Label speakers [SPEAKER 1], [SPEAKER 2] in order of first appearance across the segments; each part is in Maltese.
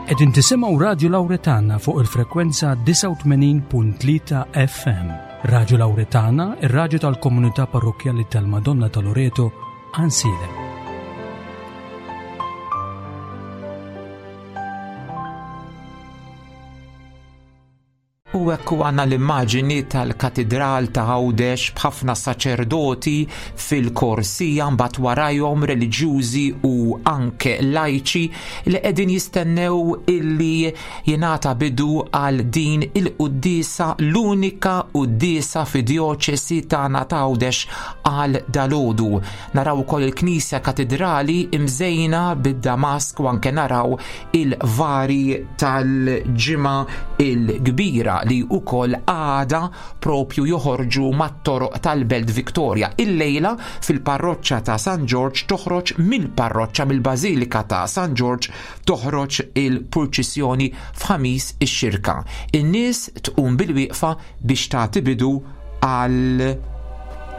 [SPEAKER 1] Qegħdin tisimgħu Radju Lawretana fuq il-frekwenza 89.3 FM. Radju Lawretana, ir-radju tal-komunità parrokkjali tal-Madonna ta' Loreto, Għansielem.
[SPEAKER 2] U hekk u għandna l-immaġini tal-Katidral ta' Għawdex b'ħafna saċerdoti fil-korsija mbagħad warajhom reliġjużi u anke lajċi li qegħdin jistennew illi jingħata bidu għal din il-quddiesa l-unika quddiesa fi djoċesi tagħna ta' Għawdex għal dalgħodu. Naraw ukoll il-Knisja Katidrali imżejna bid-damask u anke naraw il-vari tal-ġimgħa il-kbira li wkoll għada propju joħorġu mat-toroq tal-Belt Victoria. Illejla fil-parroċċa ta' San Ġorġ toħroġ mill-parroċċa mill-Bażilika ta' San Ġorġ toħroġ il-purċissjoni f'Ħamis ix-Xirka. In-nies tqum bil-wieqfa biex tagħti bidu għal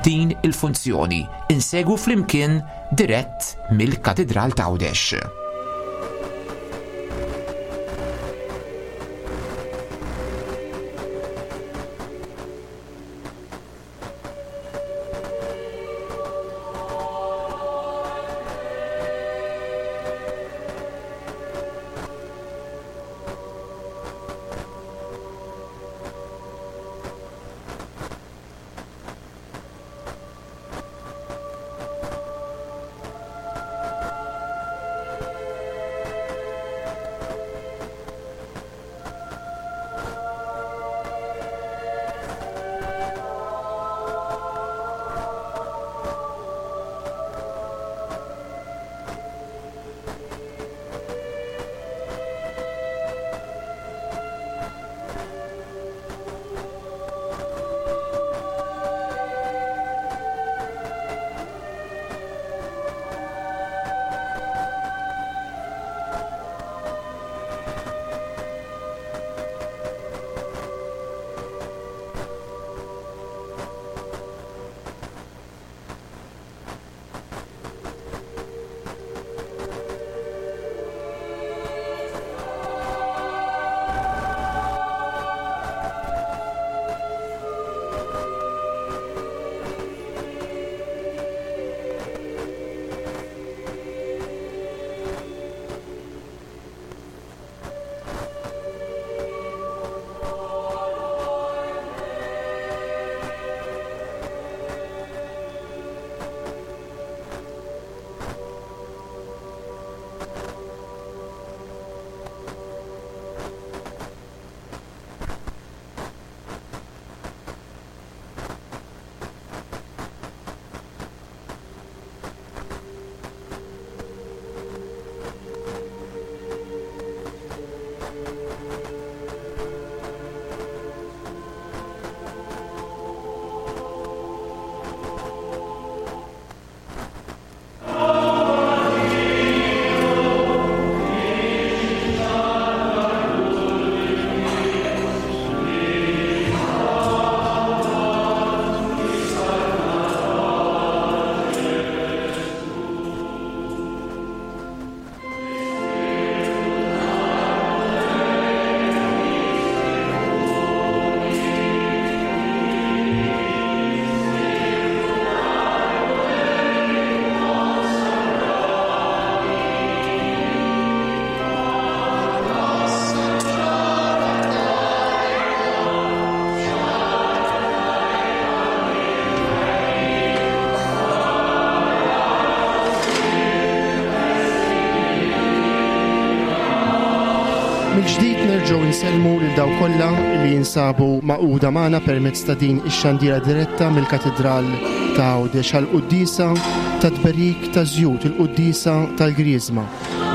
[SPEAKER 2] din il-funzjoni. Insegwu flimkien dirett mill-Katidral t'Għawdex.
[SPEAKER 3] Mill-ġdid nerġgħu nsellmu lil dawk kollha li jinsabu magħquda magħna permezz ta' din ix-xandira diretta mill-Katidral ta' Għawdex għall-quddiesa ta' tberik ta' żjut, il-quddiesa tal-Griżma.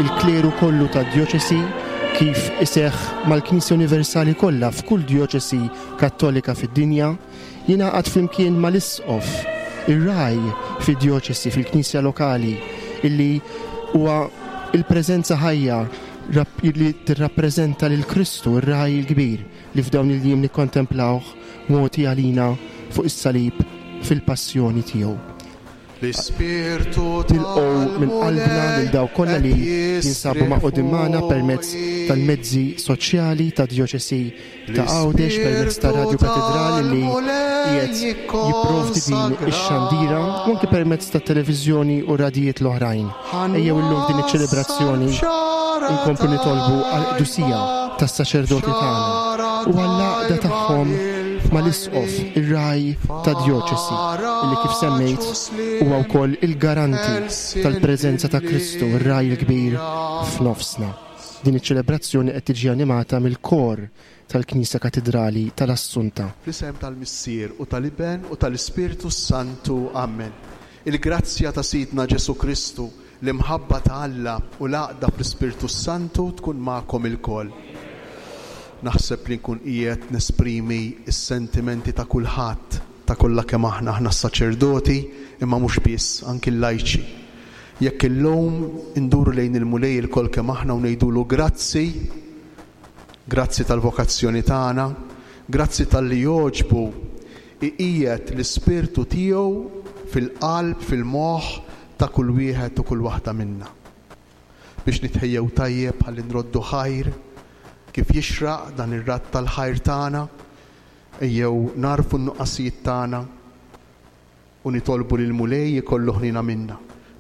[SPEAKER 3] Il-kleru kollu tad-djoċesi kif iseħħ mal-Knisja Universali kollha f'kull djoċesi Kattolika fid-dinja, jingħaqad flimkien mal-Isqof, ir-ragħaj fid-djoċesi, fil-Knisja lokali, illi huwa l-preżenza ħajja li tirrappreżenta lil Kristu, ir-Ragħaj il-Kbir, li f'dawn il-jiem nikkontemplawh mogħti għalina fuq is-salib fil-passjoni tiegħu. L-Ispirtu Nilqgħu minn qalbna lil dawk kollha li jinsabu magħqudin magħna permezz tal-mezzi soċjali tad-Djoċesi ta' Għawdex permezz ta' Radju Katidral li qiegħed jipprovdi din ix-xandira u anki permezz tat-televiżjoni u radijiet l-oħrajn. Ejjew illum f'din iċ-ċelebrazzjoni nkomplu nitolbu għall-qdusija tas-saċerdoti tagħna u għall-għaqda tagħhom mal-Isqof, ir-ragħaj tad-djoċesi, illi kif semmejt huwa wkoll il-garanti tal-preżenza ta' Kristu, ir-Ragħaj il-Kbir f'nofsna. Din iċ-ċelebrazzjoni qed tiġi animata mill-Kor tal-Knisja Katidrali tal-Assunta.
[SPEAKER 4] Fl-isem tal-Missier, u tal-Iben, u tal-Ispirtu s-Santu. Ammen. Il-grazzja ta' Sidna Ġesù Kristu, l-imħabba ta' Alla u l-għaqda fl-Ispirtu s-Santu tkun magħkom ilkoll. Naħseb li nkun qiegħed nesprimi s-sentimenti ta' kulħadd, ta' kollha kemm aħna, aħna s-saċerdoti, imma mhux biss, anki l-lajċi. Jekk illum induru lejn il-Mulej ilkoll kemm aħna u ngħidulu grazzi, grazzi tal-vokazzjoni tagħna, grazzi talli jogħġbu iqiegħed l-Ispirtu tiegħu fil-qalb, fil-moħħ ta' kull wieħed u kull waħda minna. Biex nitħejjew tajjeb ħalli nroddu ħajr kif jixraq dan ir-radd tal-ħajr tagħna, ejjew nagħrfu n-nuqqasijiet tagħna, U nitolbu lill-Mulej ikollu ħniena minna.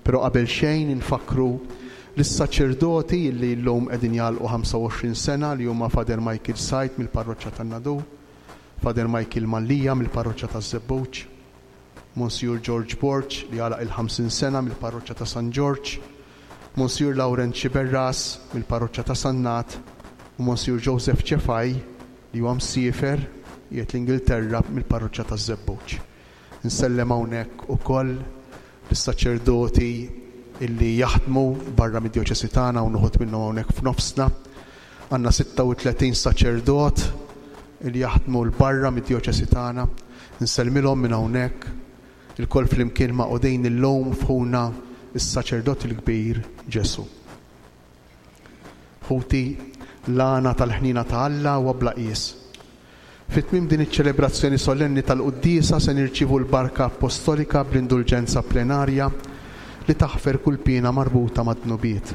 [SPEAKER 4] Però qabel xejn infakkru lis-saċerdoti illi llum qegħdin jagħlqu 25 sena li huma Father Michael Said mill-Parroċċa tan-Nadur, Father Michael Mallia mill-Parroċċa taż-Żebbuġ, Monsijur George Borg li għalaq il-50 sena mill-Parroċċa ta' San Ġorġ, Monsijur Lawrenz Sciberras mill-Parroċċa ta' Sannat u Monsijur Joseph Cefai li huwa msiefer qiegħed l-Ingilterra mill-Parroċċa taż-Żebbuġ. Insellem hawnhekk ukoll lis-saċerdoti illi jaħdmu barra mid-djoċesi tagħna, hawn uħud minnhom hawnhekk f'nofsna. Għandna 36 saċerdot illi jaħdmu 'l barra mid-djoċesi tagħna. Insellmilhom minn hawnhekk. Ilkoll flimkien magħqudin illum f'ħuna s-Saċerdot il-Kbir Ġesù. Ħuti, l-għana tal-ħniena ta' Alla huwa bla qies. Fi tmiem din iċ-ċelebrazzjoni solenni tal-Quddiesa se nirċievu l-Barka Appostolika bl-Indulġenza Plenarja li taħfer kull piena marbuta mad-dnubiet.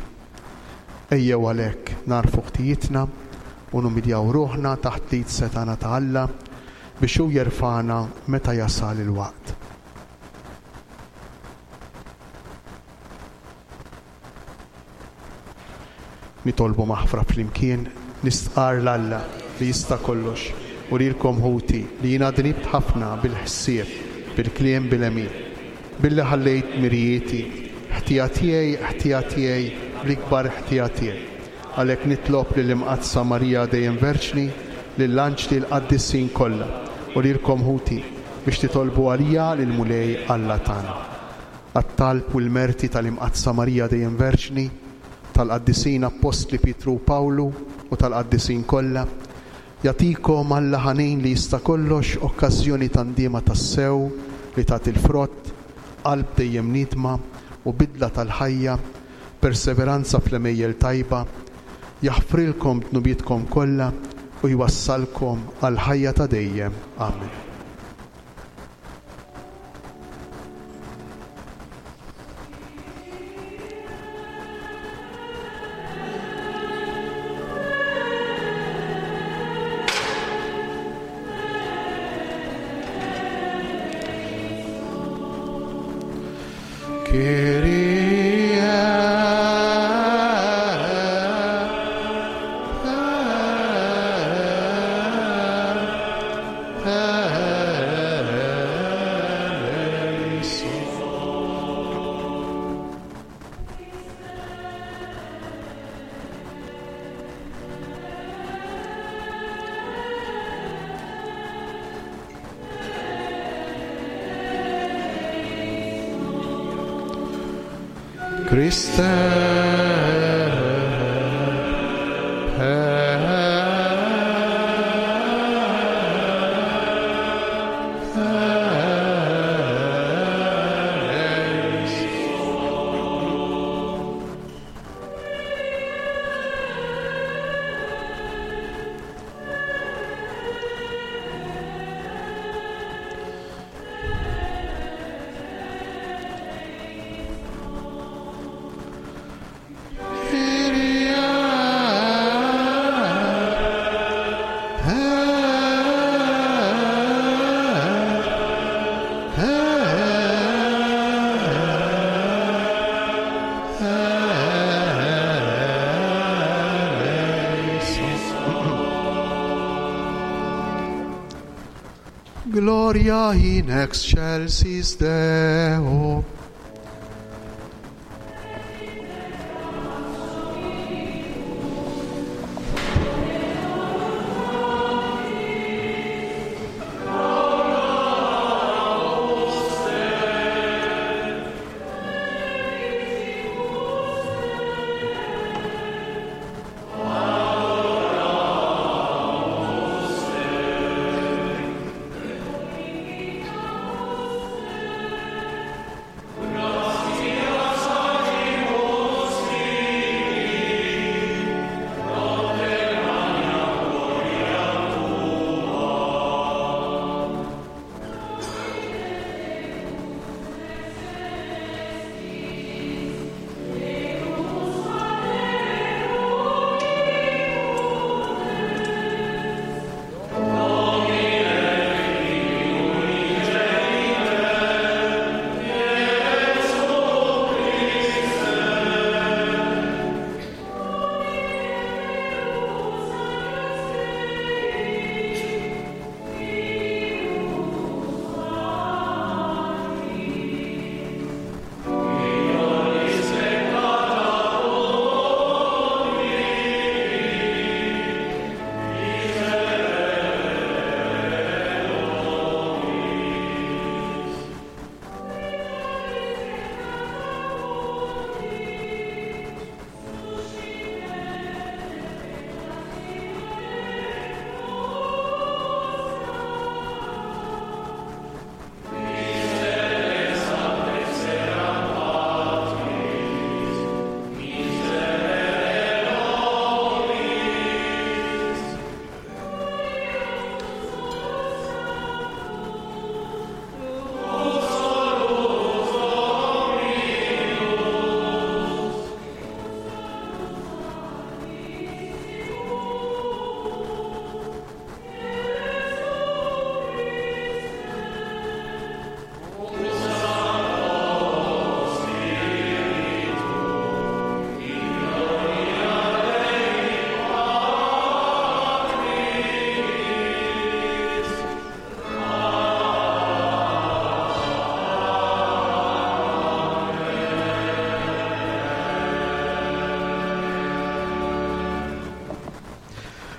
[SPEAKER 4] Ejjew għalhekk nagħrfu ħtijietna u numiljaw ruħna taħt l-id setgħana ta' Alla biex hu jerfagħna meta jasal il-waqt. Nitolbu maħfra flimkien, nistqarr 'l Alla li jista' kollox u lilkom ħuti li jiena dnibt ħafna bil-ħsieb, bil-kliem, bil-għemil. Billi ħallejt dmirijieti, ħtija tiegħi, ħtija tiegħi, l-ikbar ħtija tiegħi. Għalhekk nitlob lill-Imqaddsa Marija dejjem Verġni, lill-anġli l-qaddisin kollha u lilkom ħuti biex titolbu għalija lill-Mulej Alla tagħna. Għat-talb u l-merti tal-Imqaddsa Marija Dejjem Verġni, tal-Qaddisin Appostli Pietru u Pawlu u tal-qaddisin kollha, jagħtikom Alla ħanin li jista' kollox okkażjoni ta' ndiema tassew li tagħti l-frott, qalb dejjem niedma u bidla tal-ħajja, perseveranza fl-għemejjel tajba, jaħfrilkom dnubietkom kollha u jwassalkom għall-ħajja ta' dejjem. Amen. Christe Gloria in excelsis Deo.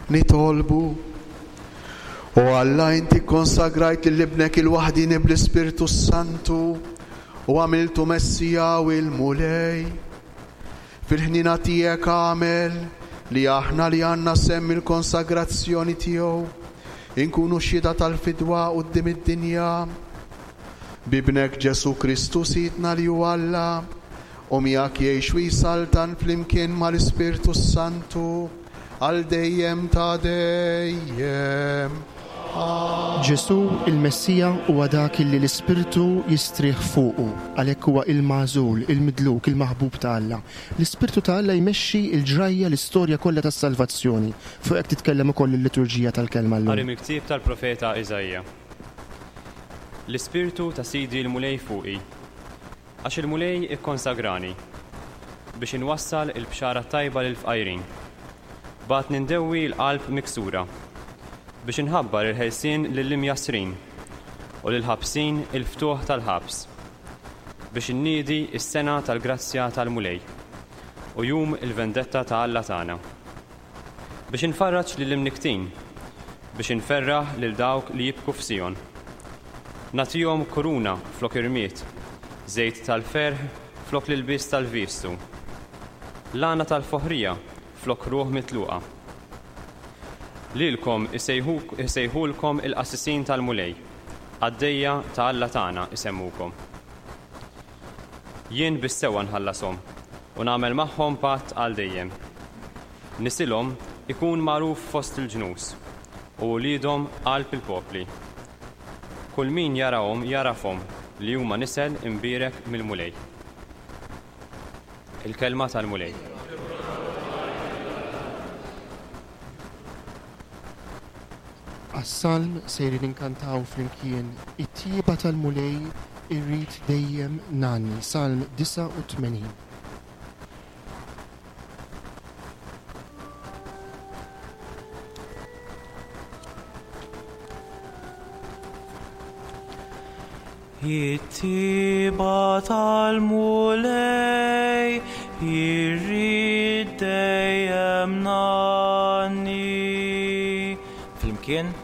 [SPEAKER 4] Nitolbu. O Alla, inti kkonsagrajt lil Ibnek il-waħdieni bl-Ispirtu s-Santu u għamiltu Messija u l-Mulej. Fil-ħniena tiegħek agħmel li aħna li għandna sehem mill-konsagrazzjoni tiegħu inkunu xhieda tal-fidwa quddiem id-dinja. B'Ibnek Ġesù Kristu Sidna li hu Alla, u miegħek jgħix u jsaltan flimkien mal-Ispirtu s-Santu għal dejjem ta' dejjem.
[SPEAKER 3] Ġesù, il-Messija, huwa dak illi l-Ispirtu jistrieħ fuqu, għalhekk huwa il-magħżul, il-midluk, il-maħbub ta' Alla. L-Ispirtu ta' Alla jmexxi l-ġrajja, l-istorja kollha tas-salvazzjoni. Fuq hekk titkellem ukoll il-liturġija tal-Kelma llum.
[SPEAKER 5] Qari mill-ktieb tal-profeta Iżaija. L-Ispirtu ta' Sidi l-Mulej fuqi, Għax il-Mulej ikkonsagrani biex inwassal il-bxara t-tajba lill-fqajrin. Bagħatni ndewwi l-qalb miksura, biex inħabbar il-ħelsien lill-imjassrin u lill-ħabsin il-ftuħ tal-ħabs, biex inniedi s-sena tal-grazzja tal-Mulej u jum il-vendetta ta' Alla tagħna. Biex infarraġ lill-imnikktin, biex inferraħ lil dawk li jibku f'Sijon. Nagħtihom kuruna flok irmied, żejt tal-ferħ flok l-ilbies tal-vistu, l-għana tal-foħrija flok ruħ mitluqa. Lilkom isejħulkom il-qassisin tal-Mulej, qaddejja ta' Alla tagħna jsemmukom. Jien bis-sewwa nħallashom u nagħmel magħhom patt għal dejjem. Nisilhom ikun magħruf fost il-ġnus, u uliedhom qalb il-popli. Kull min jarahom jagħrafhom li huma nisel imbierek mill-Mulej. Il-Kelma tal-Mulej.
[SPEAKER 3] Għas-salm sejrin inkantaw flimkien It-tjieba tal-Mulej irrid dejjem ngħanni, Salm 89.
[SPEAKER 6] It-tiba tal-Mulej irrid dejjem ngħanni. Flimkien.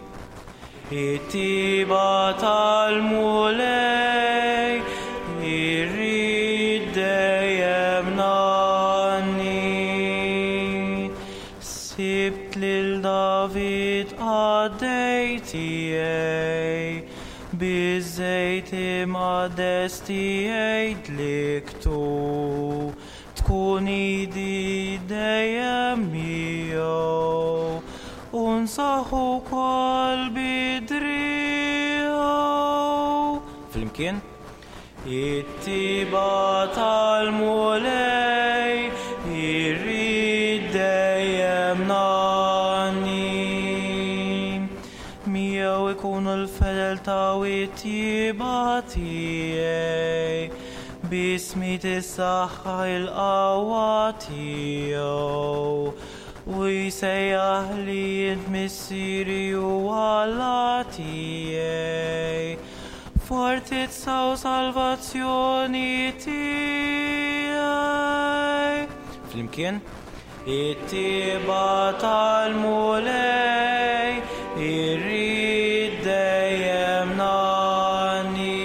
[SPEAKER 6] It-tiba tal-Mulej irrid dejjem ngħanni. Sibt lil David qaddej tiegħi, biż-żejt imqaddes tiegħi dliktu. Tkun idi dejjem miegħu, u nsaħħu wkoll bi driegħu. Flimkien. It-tiba tal-Mulej irrid dejjem ngħanni. Miegħu ikunu l-fedeltà u t-tjieba tiegħi, b'ismi tissaħħaħ il-qawwa tiegħu. U jsejjaħ li int Missieri u Alla tiegħi, fortizza u salvazzjoni tiegħi. Flimkien. It-tiba tal-Mulej irrid dejjem ngħanni.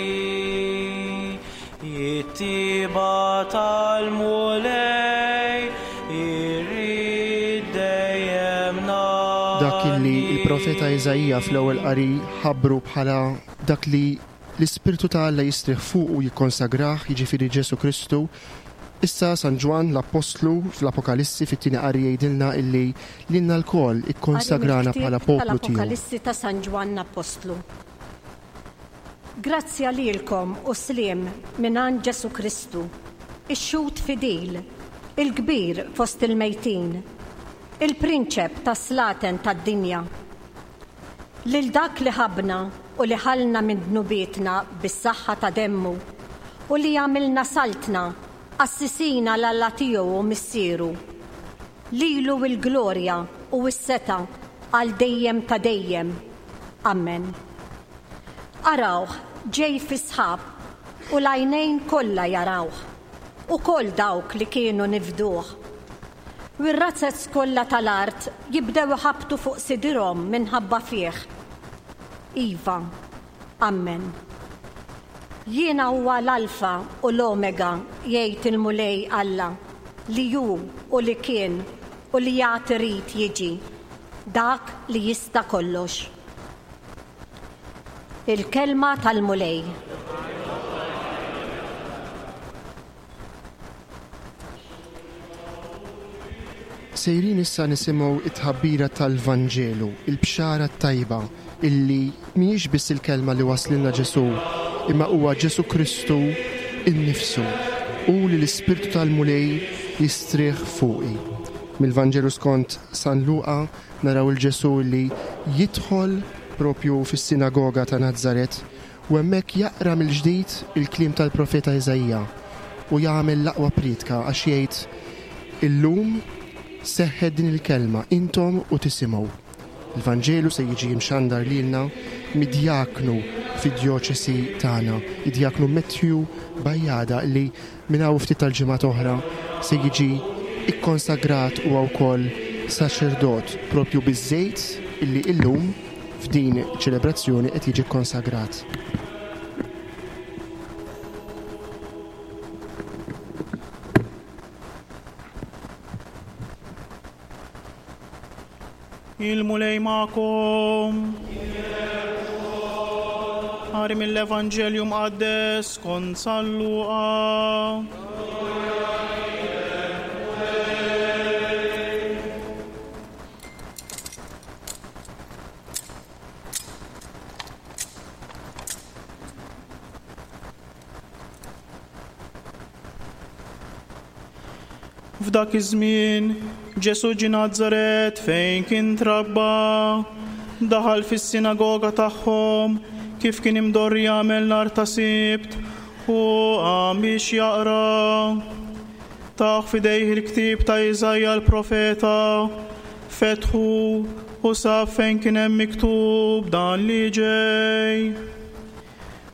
[SPEAKER 6] It-tiba tal-Mulej irrid dejjem ngħanni.
[SPEAKER 3] Dak illi l-profeta Iżaija fl-ewwel qari ħabbru bħala dak li l-Ispirtu ta' Alla jistrieħ fuqu u jikkonsagrah, jiġifieri Ġesù Kristu, issa San Ġwann l-Appostlu fl-Apokalissi fit-tieni qari jgħidilna illi lilna lkoll
[SPEAKER 7] Qari
[SPEAKER 3] ikkonsagrana bħala
[SPEAKER 7] mill-ktieb
[SPEAKER 3] poplu tiegħu.
[SPEAKER 7] tal-Apokalissi ta' San Ġwann Appostlu. Grazzja lilkom u sliem mingħand Ġesù Kristu, ix-Xhud fidil, il-kbir fost il-mejtin, il-Prinċep tas-slaten tad-dinja. Lil dak li ħabbna u li ħallna minn dnubietna bis-saħħa ta' demmu, u li għamilna saltna, qassisin għal Alla tiegħu u Missieru. Lilu l-glorja u s-setgħa għal dejjem ta' dejjem. Ammen. Arawh ġej fis-sħab u l-għajnejn kollha jarawh, ukoll dawk li kienu nifduh. U r-razzez kollha tal-art jibdew iħabbtu fuq sidirhom minħabba fih. Iva. Ammen. Jiena huwa l-Alfa u l-Omega, jgħid il-Mulej Alla, li hu u li kien u li għad irid jiġi, dak li jista' kollox. Il-Kelma tal-Mulej.
[SPEAKER 3] Sejrin issa nisimgħu t-tħabbira tal-Vanġelu, il-Bxara t-Tajba, illi mhijiex biss il-kelma li waslilna Ġesù, imma huwa Ġesù Kristu nnifsu, Hu li l-Ispirtu tal-Mulej jistrieħ fuqi. Mill-Vanġelu skont San Luqa naraw 'il Ġesù li jidħol propju fis-sinagoga ta' Nazaret U hemmhekk jaqra mill-ġdid il-kliem tal-profeta Iżaija u jagħmel l-aqwa prietka għax jgħid, Illum seħħet din il-kelma, intom u tisimgħu. Il-Vanġelu se jiġi mxandar lilna mid-djaknu fid-djoċesi tagħna, id-djaknu Matthew Bajada li minn hawn ftit tal-ġimgħat oħra se jiġi ikkonsagrat huwa wkoll saċerdot propju biż-żejt illi illum f'din iċ-ċelebrazzjoni qed jiġi kkonsagrat.
[SPEAKER 8] Il-Mulej magħkom. Qari mill-Evanġelju Mqaddes skont San Luqa. F'dak iż-żmien, Ġesù ġie Nazaret fejn kien trabba. Daħal fis-sinagoga tagħhom kif kien imdorri jagħmel nhar ta' Sibt u qam biex jaqra. Tawh f'idejh il-ktieb ta' Iżaija l-profeta, fetħu u sab fejn kien hemm miktub dan li ġej.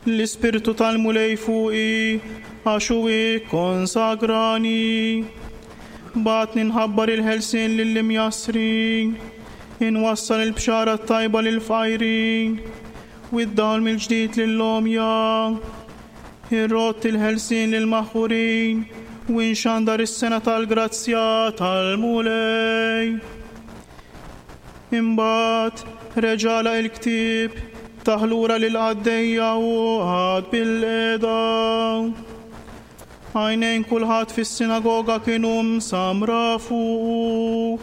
[SPEAKER 8] L-Ispirtu tal-Mulej fuqi, għax hu kkonsagrani. Bagħatni nħabbar il-ħelsien lill-imjassrin, inwassal il-bxara t-tajba lill-fqajrin, u d-dawl mill-ġdid lill-għomja. Irrodd il-ħelsien lill-maħqurin, u nxandar is-sena tal-grazzja tal-Mulej. Imbagħad reġa' għalaq il-ktieb, tah lura lill-qaddejja u qagħad bilqiegħda. Għajnejn kulħadd fis-sinagoga kienu msammra fuqu.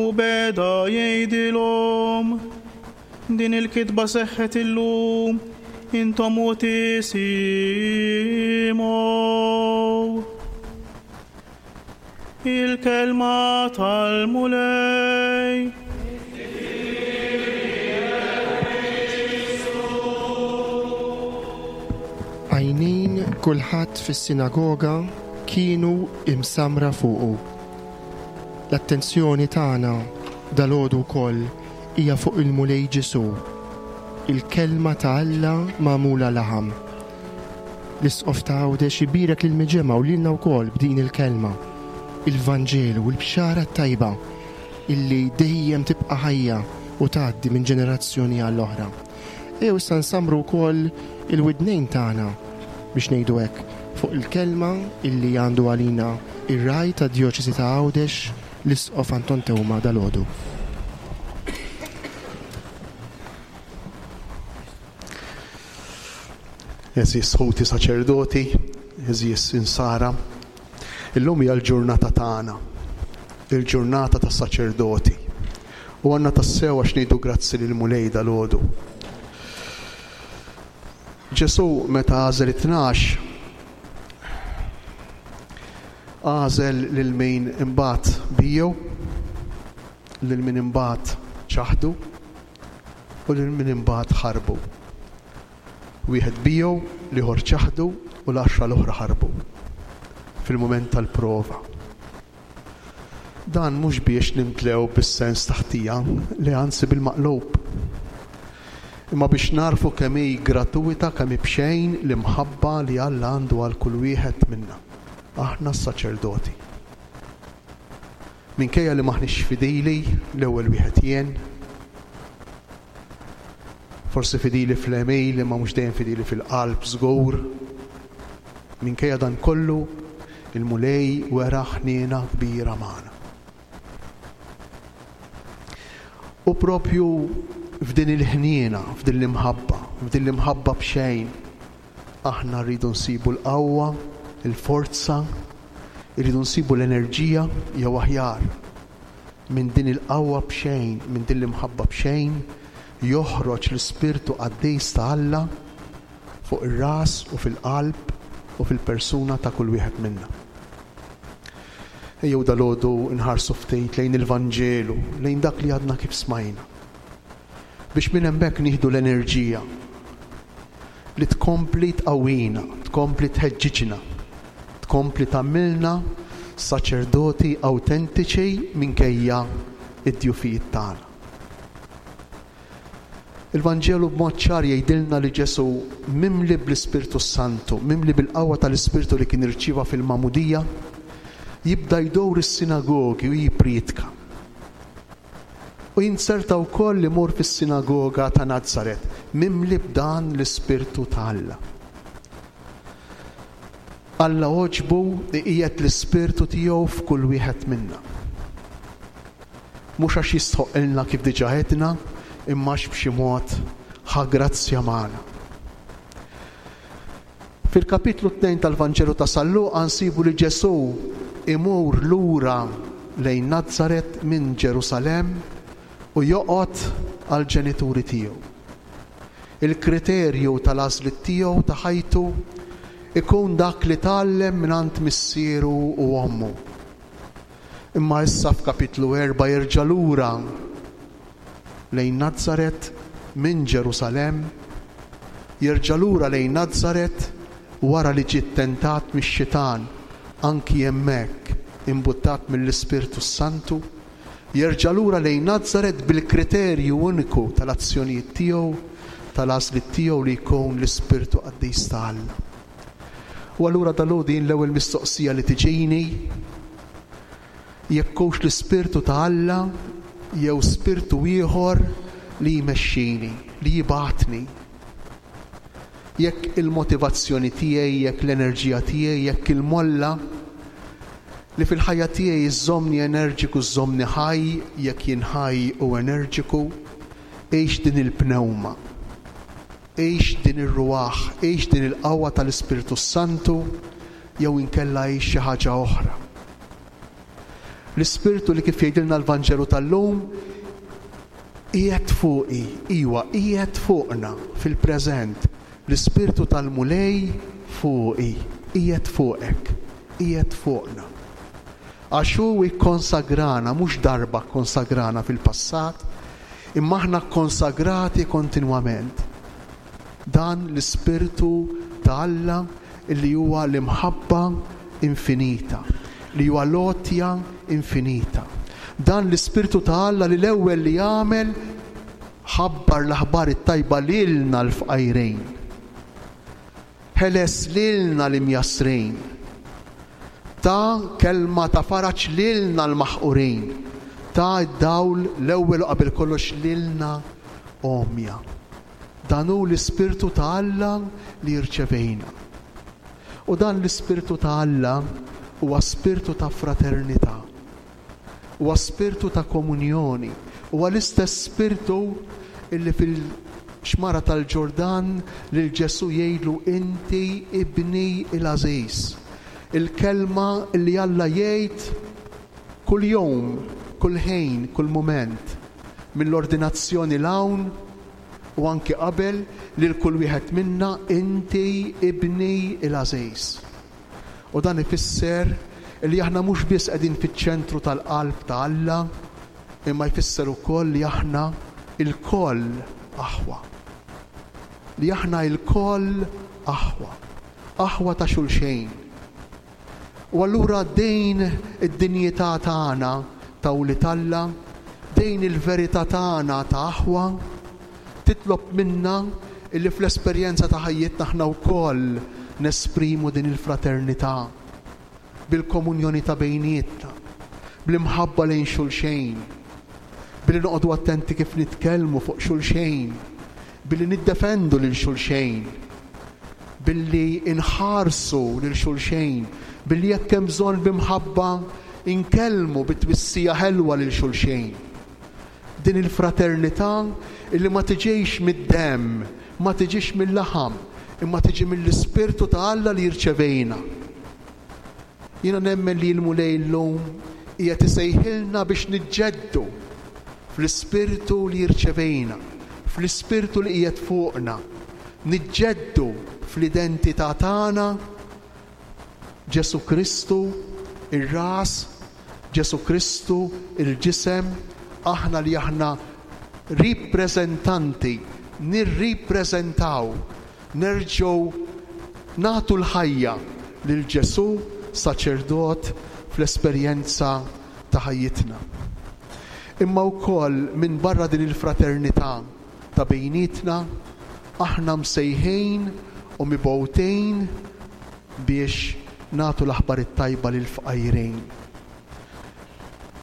[SPEAKER 8] U beda jgħidilhom, Din il-kitba seħħet illum, intom u tisimgħu. Il-kelma tal-Mulej.
[SPEAKER 3] Għajnejn kulħadd fis-sinagoga kienu imsammra fuqu. L-attenzjoni tagħna dalgħodu wkoll hija fuq il-Mulej Ġesù, il-Kelma ta' Alla magħmula laħam. L-Isqof ta' Għawdex ibierek lill-miġemgħa u lilna wkoll b'din il-kelma, il-Vanġelu, il-Bxara t-Tajba illi dejjem tibqa' ħajja u tgħaddi minn ġenerazzjoni għal oħra. Ejjew issa nsammru wkoll il-widnejn tagħna biex ngħidu hekk fuq il-kelma illi għandu għalina ir-Ragħaj tad-Djoċesi ta' Għawdex, l-Isqof Anton Teuma dalgħodu.
[SPEAKER 4] Għeżież ħuti saċerdoti, għeżież insara, illum hija l-ġurnata tagħna, il-ġurnata tas-saċerdoti. U għandna tassew għax ngħidu grazzi lill-Mulej dalgħodu. Ġesù meta għażel it-tnax, għażel lil min imbagħad biegħu, lil min imbagħad ċaħdu, u lil min imbagħad ħarbu. Wieħed biegħu, l-ieħor ċaħdu u l-għaxra l-oħra ħarbu fil-mument tal-prova. Dan mhux biex nimtlew bis-sens ta' ħtija, le anzi bil-maqlub. Imma biex nagħrfu kemm hi gratuwita, kemm hi b'xejn l-imħabba li Alla għandu għal kull wieħed minna, aħna s-saċerdoti. Minkejja li m'aħniex fidili, l-ewwel wieħed jien, forsi fidili fl-għemil imma mhux dejjem fidili fil-qalb żgur, minkejja dan kollu, il-Mulej wera ħniena kbira magħna. U propju f'din il-ħniena, f'din l-imħabba, f'din l-imħabba b'xejn, Aħna rridu nsibu l-qawwa, il-forza, irridu nsibu l-enerġija jew aħjar, minn din il-qawwa b'xejn, minn din l-imħabba b'xejn, joħroġ l-Ispirtu Qaddis ta' Alla fuq ir-ras u fil-qalb u fil-persuna ta' kull wieħed minna. Ejjew dalgħodu nħarsu ftit lejn il-Vanġelu, lejn dak li għadna kif smajna. Biex minn hemmhekk nieħdu l-enerġija li tkompli tqawwina, tkompli tħeġġiġna, tkompli tagħmilna saċerdoti awtentiċi minkejja d-djufijiet tagħna. Il-Vanġelu b'mod ċar jgħidilna li Ġesù mimli bl-Ispirtu s-Santu, mimli bil-qawwa tal-Ispirtu li kien irċieva fil-magħmudija, jibda jdur is-sinagogi u jippriedka. U jinzerta wkoll imur fis-sinagoga ta' Nazaret, mimli b'dan l-Ispirtu ta' Alla. Alla għoġbu iqiegħed l-Ispirtu tiegħu f'kull wieħed minna. Mhux għax jistħoqqilna kif diġà għedna, imma għax b'xi mod ħa grazzja magħna. Fil-kapitlu 2 tal-Vanġelu ta' San Luqa nsibu li Ġesù imur lura lejn Nazaret minn Ġerusalemm u joqgħod għall-ġenituri tiegħu. Il-kriterju tal-għażliet tiegħu ta' ħajtu ikun dak li tgħallem mingħand missieru u ommu. Imma issa f'kapitlu 4 jerġa' lura lejn Nazaret minn Ġerusalemm, jerġa' lura lejn Nazaret wara li ġie ttentat mix-xitan, anki hemmhekk imbuttat mill-Ispirtu s-Santu, jerġa' lura lejn Nazaret bil-kriterju uniku tal-azzjonijiet tiegħu. tal-għażliet tiegħu li jkun l-Ispirtu Qaddis ta' Alla. U allura dalgħodu jien l-ewwel mistoqsija li tiġini jekk hux l-Ispirtu ta' Alla jew spirtu ieħor li jmexxini, li jibgħatni. Jekk il-motivazzjoni tiegħi, jekk l-enerġija tiegħi, jekk il-molla li fil-ħajja tiegħi żżommni enerġiku, żżommni ħaj, jekk jien ħaj u enerġiku, hix din il-pnewma, hix din ir-ruah, hix din il-qawwa tal-Ispirtu s-Santu jew inkella hix xi ħaġa oħra. L-Ispirtu li kif jgħidilna l-Vanġelu tal-lum qiegħed fuqi, iwa, qiegħed fuqna fil-preżent. L-Ispirtu tal-Mulej fuqi, qiegħed fuqek, qiegħed fuqna. Għax hu kkonsagrana, mhux darba kkonsagrana fil-passat, imma aħna kkonsagrati kontinwament. Dan l-Ispirtu ta' Alla li huwa l-imħabba infinita, li huwa l-għotja infinita. Dan l-Ispirtu ta' Alla li l-ewwel li għamel ħabbar l-aħbar it-tajba lilna l-fqajrin. Ħeles lilna l-imjassrin. Ta kelma ta' faraġ lilna l-maħqurin. Ta d-dawl l-ewwel u qabel kollox lilna għomja. Dan hu l-Ispirtu ta' Alla li rċevejna. U dan l-Ispirtu ta' Alla huwa spirtu ta' fraternità. Huwa spirtu ta' komunjoni. Huwa l-istess spirtu illi fil-xmara tal-Ġordan lil Ġesù jgħidlu inti ibni l-għażiż. Il-kelma li Alla jgħid kuljum, kull ħin, kull mument, mill-ordinazzjoni 'l hawn u anki qabel lil kull wieħed minna inti ibni l-għażiż. U dan ifisser li aħna mhux biss qegħdin fiċ-ċentru tal-qalb ta' Alla, imma jfisser ukoll li aħna lkoll aħwa. Li aħna lkoll aħwa. Aħwa ta' xulxejn. U allura din id-dinjità tagħna ta' wlied Alla, din il-verità tagħna ta' aħwa, titlob minna illi fl-esperjenza ta' ħajjitna aħna wkoll nesprimu din il-fraternità bil-komunjoni ta' bejnietna, bl-imħabba lejn xulxejn, billi noqogħdu attenti kif nitkellmu fuq xulxejn, billi niddefendu lil xulxejn, billi nħarsu lil xulxejn, billi jekk hemm bżonn b'imħabba nkellmu bi twissija ħelwa lil xulxejn. Din il-fraternità illi ma tiġix mid-demm, ma tiġix mil-laħam, imma tiġi mill-Ispirtu ta' Alla li rċevejna. Jiena nemmen li l-Mulej illum qiegħed isejħilna biex niġġeddu fl-Ispirtu li rċevejna, fl-Ispirtu li qiegħed fuqna, niġġeddu fl-identità tagħna Ġesù Kristu, ir-ras, Ġesù Kristu, il-ġisem, aħna li aħna ripreżentanti, nirripreżentaw, nerġgħu nagħtu l-ħajja lil Ġesù saċerdot fl-esperjenza ta' ħajjitna. Imma wkoll minbarra din il-fraternità ta' bejnietna, aħna msejħin u mibgħutin biex nagħtu l-aħbar it-tajba lill-fqajrin.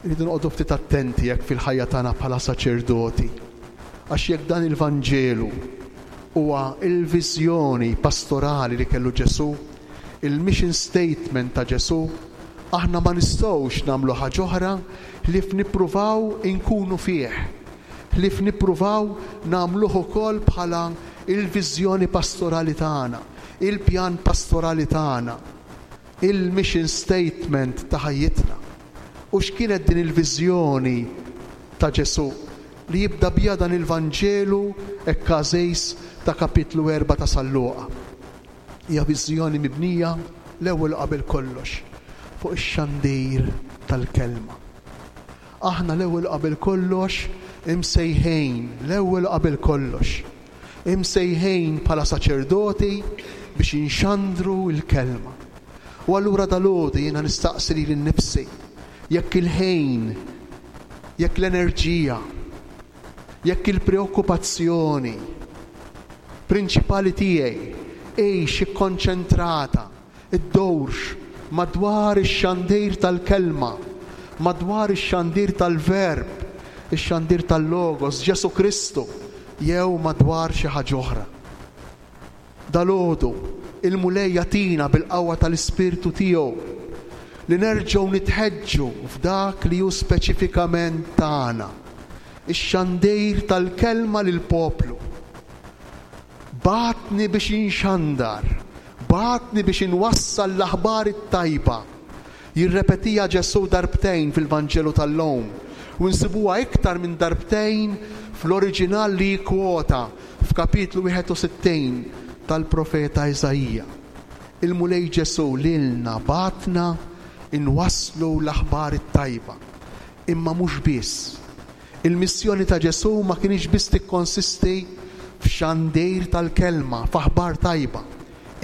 [SPEAKER 4] Irridu noqogħdu ftit attenti jekk fil-ħajja tagħna bħala saċerdoti. Għax jekk dan il-Vanġelu huwa il-viżjoni pastorali li kellu Ġesù, il-mission statement ta' Ġesù, aħna ma nistgħux nagħmlu ħaġa oħra ħlief nippruvaw inkunu fih, ħlief nippruvaw nagħmluh ukoll bħala il-viżjoni pastorali tagħna, il-pjan pastorali tagħna, il-mission statement ta' ħajjitna. U x'kienet din il-viżjoni ta' Ġesù li jibda biha dan il-Vanġelu hekk għażiż ta' kapitlu 4 ta' San Luqa? Hija viżjoni mibnija l-ewwel u qabel kollox fuq ix-xandir tal-kelma. Aħna l-ewwel u qabel kollox imsejħin, l-ewwel u qabel kollox, imsejħin bħala saċerdoti biex inxandru l-kelma. U allura dalgħodu jiena nistaqsi lili nnifsi jekk il-ħin, jekk l-enerġija, jekk il-preokkupazzjoni. prinċipali tiegħi għix ikkonċentrata, iddurx madwar ix-xandir tal-Kelma, madwar ix-xandir tal-Verb, ix-xandir tal-Logos, Ġesù Kristu, jew madwar xi ħaġa oħra. Dalgħodu, il-Mulej jagħtina bil-qawwa tal-Ispirtu tiegħu li nerġgħu nitħeġġu f'dak li hu speċifikament tagħna, ix-xandir tal-Kelma lill-poplu. Bagħatni biex inxandar, bagħatni biex inwassal l-aħbar it-tajba. Jirrepetiha Ġesù darbtejn fil-Vanġelu tal-lum, u nsibuha iktar minn darbtejn fl-oriġinal li jikkwota f'kapitlu 61 tal-profeta Iżaija. Il-Mulej Ġesù lilna bagħatna nwasslu l-aħbar it-tajba. Imma mhux biss. Il-missjoni ta' Ġesù ma kinitx biss tikkonsisti f'xandir tal-kelma, f'aħbar tajba,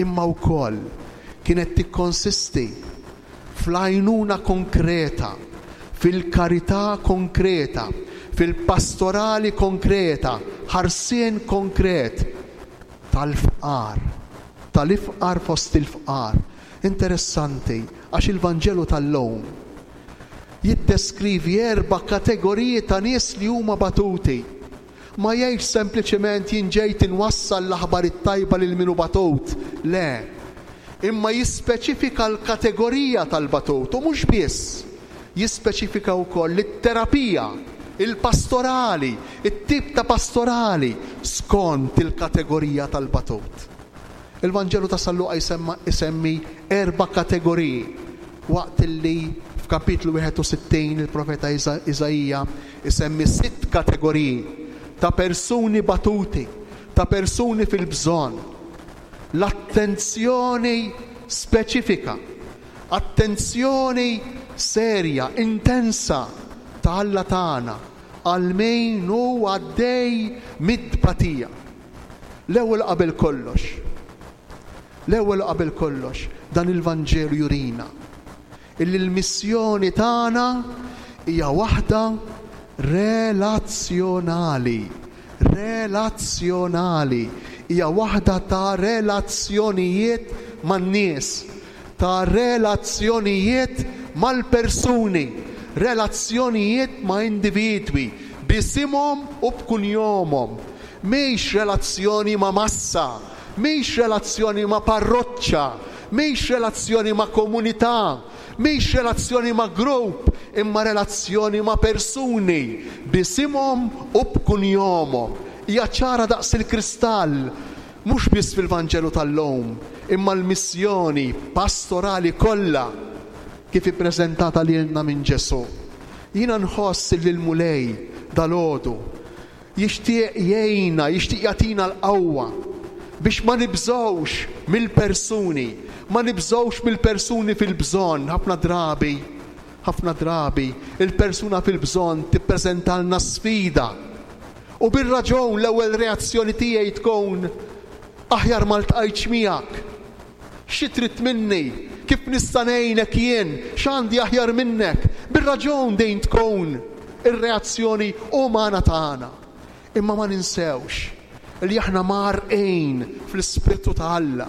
[SPEAKER 4] imma wkoll kienet tikkonsisti fl-għajnuna konkreta, fil-karità konkreta, fil-pastorali konkreta, ħarsien konkret tal-fqar, tal-ifqar fost il-fqar. Interessanti għax il-Vanġelu tal-lum jiddeskrivi erba' kategoriji ta' nies li huma batuti. Ma jgħidx sempliċement jien ġejt inwassal l-aħbar it-tajba lil min hu batut. Le. Imma jispeċifika l-kategorija tal-batut u mhux biss, jispeċifika wkoll it-terapija, il-pastorali, it-tip ta' pastorali skont il-kategorija tal-batut. Il-Vanġelu ta' San Luqa jsemma isemmi erba' kategoriji waqt li f'kapitlu 61 il-profeta Iżaija isemmi sitt kategoriji ta' persuni batuti, ta' persuni fil-bżonn. L-attenzjoni speċifika, attenzjoni serja, intensa ta' Alla tagħna għal min hu għaddej mit-tbatija. L-ewwel u qabel kollox, l-ewwel u qabel kollox, dan il-Vanġelu jurina illi l-missjoni tagħna hija waħda relazzjonali, relazzjonali, hija waħda ta' relazzjonijiet man-nies, ta' relazzjonijiet mal-persuni, relazzjonijiet ma' individwi, b'isimhom u b'kunjomhom. Mhix relazzjoni ma' massa, mhix relazzjoni ma' parroċċa, mhix relazzjoni ma' komunità, mhix relazzjoni ma' grupp, imma relazzjoni ma' persuni, b'isimhom u b'kunjomhom. Hija ċara daqs il-kristall, mhux biss fil-Vanġelu tal-lum, imma l-missjoni pastorali kollha kif ippreżentata lilna minn Ġesù. Jiena nħoss illi l-Mulej dalgħodu jixtieq jgħinna, jixtieq jagħtina l-qawwa biex ma nibżgħux mill-persuni, ma nibżgħux mill-persuni fil-bżonn. Ħafna drabi, ħafna drabi, il-persuna fil-bżonn tippreżentalna sfida. U bir-raġun l-ewwel reazzjoni tiegħi tkun, Aħjar ma ltqajtx miegħek. Xi trid minni? Kif nista' ngħinek jien? X'għandi aħjar minnek? Bir-raġun din tkun ir-reazzjoni umana tagħna. Imma ma ninsewx li aħna mgħarrqin fl-Ispirtu ta' Alla,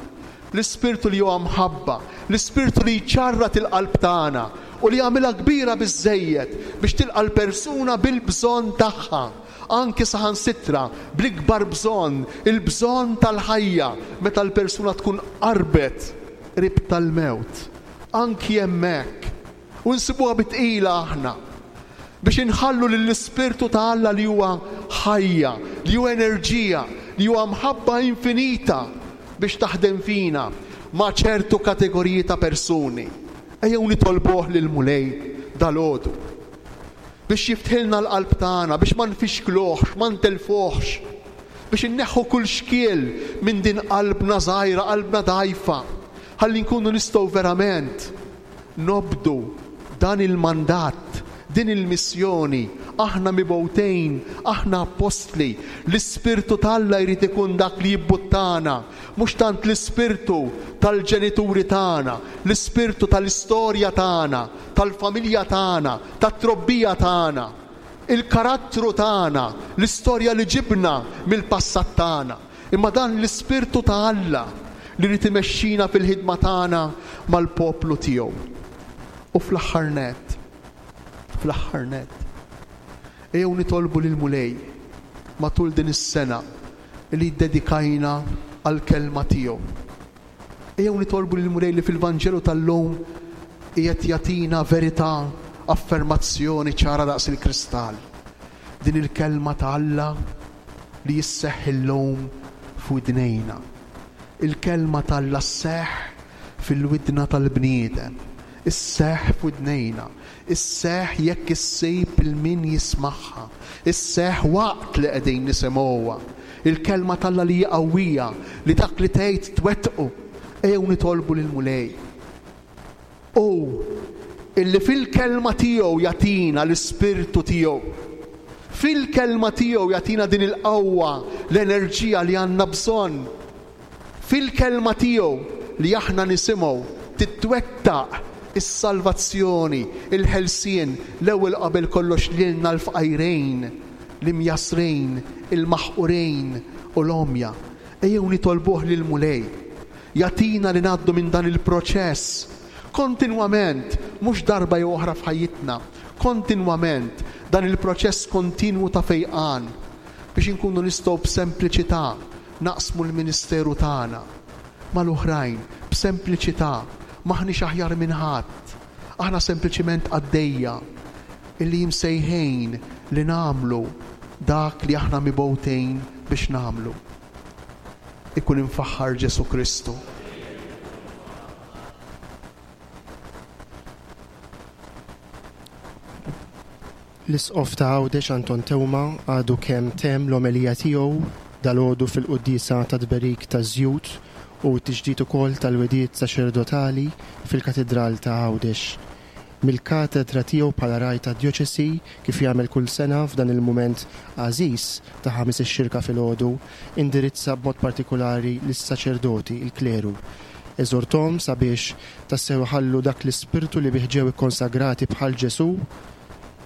[SPEAKER 4] l-Ispirtu li huwa mħabba, l-Ispirtu li jċarrat il-qalb tagħna u li jagħmilha kbira biżżejjed biex tilqa' l-persuna bil-bżonn tagħha. Anki saħansitra bl-ikbar bżonn, il-bżonn tal-ħajja, meta l-persuna tkun qarbet qrib tal-mewt. Anki hemmhekk. U nsibuha bi tqila aħna biex inħallu lill-Ispirtu ta' Alla li huwa ħajja, li hu enerġija, li huwa mħabba infinita biex taħdem fina ma' ċertu kategoriji ta' persuni. Ejjew nitolbuh lill-Mulej dalgħodu. Biex jiftħilna l-qalb tagħna, biex ma nfixkluhx, ma ntellfuhx, biex inneħħu kull xkiel minn din qalbna żgħira, qalbna dgħajfa, ħalli nkunu nistgħu verament nobdu dan il-mandat, din il-missjoni. Aħna mibgħutin, aħna appostli. L-Ispirtu t'Alla jrid ikun dak li jibbuttana, mhux tant l-ispirtu tal-ġenituri tagħna, l-ispirtu tal-istorja tagħna, tal-familja tagħna, tat-trobbija tagħna, il-karattru tagħna, l-istorja li ġibna mill-passat tagħna. Imma dan l-Ispirtu ta' Alla li jrid imexxina fil-ħidma tagħna mal-poplu tiegħu. U fl-aħħar nett, fl-aħħar nett, ejjew nitolbu lill-Mulej matul din is-sena li ddedikajna għall-Kelma tiegħu. Ejjew nitolbu lill-Mulej li fil-Vanġelu tal-lum qiegħed jagħtina verità, affermazzjoni ċara daqs il-kristall. Din il-Kelma ta' Alla li isseħħ illum f'widnejna. Il-Kelma ta' Alla sseħħ fil-widna tal-bniedem, isseħħ f'widnejna, isseħħ jekk issib 'il min jismagħha, isseħħ waqt li qegħdin nisimgħuha. Il-Kelma t'Alla li hi qawwija, li dak li tgħid twettqu. Ejjew nitolbu lill-Mulej. Hu illi fil-Kelma tiegħu jagħtina l-Ispirtu tiegħu. Fil-Kelma tiegħu jagħtina din il-qawwa, l-enerġija li għandna bżonn. Fil-Kelma tiegħu li aħna nisimgħu titwettaq is-salvazzjoni, il-ħelsien, l-ewwel u qabel kollox lilna l-fqajrin, l-imjassrin, il-maħqurin u l-għomja. Ejjew nitolbuh lill-Mulej jagħtina li ngħaddu minn dan il-proċess kontinwament, mhux darba jew oħra f'ħajjitna, kontinwament, dan il-proċess kontinwu ta' fejqan biex inkunu nistgħu b'sempliċità naqsmu l-ministeru tagħna mal-oħrajn b'sempliċità, m'aħniex aħjar minn ħadd, aħna sempliċiment qaddejja illi imsejħin li nagħmlu dak li aħna mibgħutin biex nagħmlu. Ikun imfaħħar Ġesù Kristu.
[SPEAKER 3] L-Isqof ta' Għawdex Anton Teuma għadu kemm temm l-omelija tiegħu dalgħodu fil-quddiesa tat-tberik taż-żjut u t-tiġdid ukoll tal-wegħdiet saċerdotali fil-Katidral ta' Għawdex. Mill-katedra tiegħu bħala ragħaj tad-djoċesi, kif jagħmel kull sena f'dan il-mument għażiż ta' Ħamis ix-Xirka filgħodu, indirizza b'mod partikulari lis-saċerdoti, il-kleru. Eżorthom sabiex tassew iħallu dak l-ispirtu li bih ġew ikkonsagrati bħal Ġesù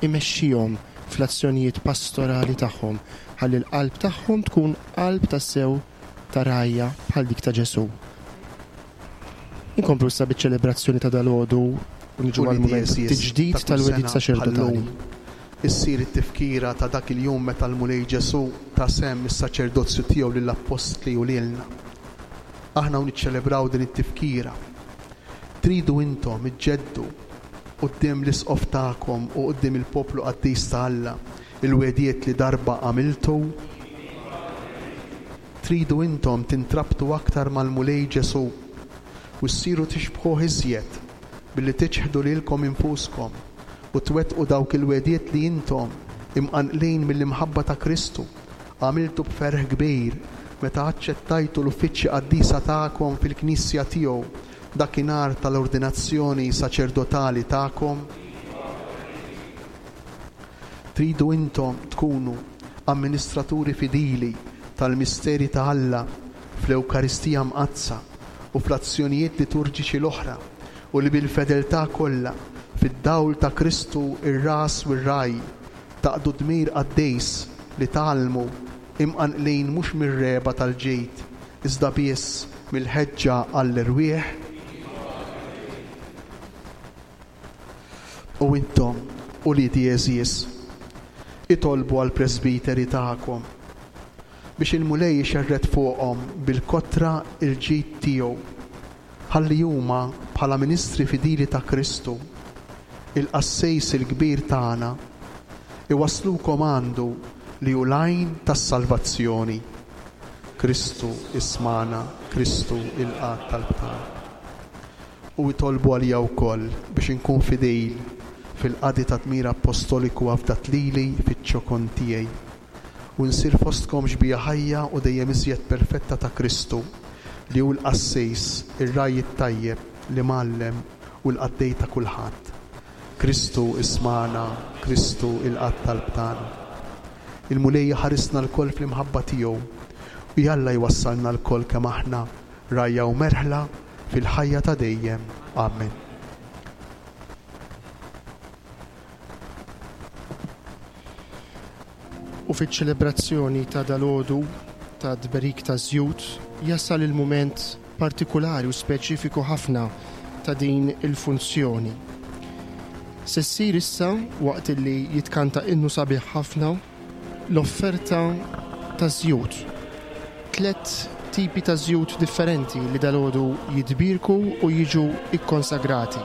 [SPEAKER 3] imexxihom fl-azzjonijiet pastorali tagħhom ħalli l-qalb tagħhom tkun qalb tassew ta' rgħajja bħal dik ta' Ġesù. Inkomplu issa biċ-ċelebrazzjoni ta' dalgħodu u niġu għall-mument tat-tiġdid tal-wegħdiet saċerdotali.
[SPEAKER 4] Issir it-tifkira ta' dak il-jum meta l-Mulej Ġesù ta sehem mis-saċerdozju tiegħu lill-appostli u lilna. Aħna u niċċelebraw din it-tifkira, tridu intom iġġeddu quddiem l-Isqof tagħkom u quddiem il-poplu qaddis ta' Alla l-wegħdiet li darba għamiltu? Tridu intom tintrabtu aktar mal-Mulej Ġesù u ssiru tixbħuh iżjed billi tiċħdu lilkom infuskom u twettqu dawk il-wegħdiet li intom, imqanqlin mill-imħabba ta' Kristu, għamiltu b'ferħ kbir meta aċċettajtu l-uffiċċji qaddisa tagħkom fil-Knisja tiegħu dakinhar tal-ordinazzjoni saċerdotali tagħkom? Tridu intom tkunu amministraturi fidili tal-misteri ta' Alla fl-Ewkaristija Mqaddsa u fl-azzjonijiet liturġiċi l-oħra u li bil-fedeltà kollha, fid-dawl ta' Kristu r-Ras u r-Ragħaj, taqdu d-dmir qaddis li tgħallmu, imqanqlin mhux mir-regħba tal-ġid, iżda biss mill-ħeġġa għall-erwieħ? U intom, uliedi għeżież, itolbu għall-presbiteri tagħkom, biex il-Mulej ixerred fuqhom bil-kotra l-ġid tiegħu, ħalli huma, bħala ministri fidili ta' Kristu, il-Qassejs il-Kbir tagħna, iwasslukom għandu li hu l-għajn tas-salvazzjoni. Kristu ismagħna, Kristu ilqa' t-talb tagħna. U itolbu għalija wkoll biex inkun fidil fil-qadi ta' dmir appostoliku afdat lili fiċ-ċokon tiegħi, u nsir fostkom xbieha ħajja u dejjem iżjed perfetta ta' Kristu, li hu l-Qassis, ir-Ragħaj it-Tajjeb, l-Imgħallem u l-Qaddej ta' kulħadd. Kristu ismagħna, Kristu ilqa' t-talb tagħna. Il-Mulej iħarisna lkoll fl-imħabba tiegħu, u jalla jwassalna lkoll kemm aħna rgħajja u merħla fil-ħajja ta' dejjem. Amen.
[SPEAKER 3] U fiċ-ċelebrazzjoni ta' dalgħodu. ta' tberik taż-żjut jasal il-mument partikulari u speċifiku ħafna ta' din il-funzjoni. Se ssir issa, waqt illi jitkanta innu sabiħ ħafna, l-offerta taż-żjut. Tlett tipi ta' żjut differenti li dalgħodu jitbierku u jiġu kkonsagrati.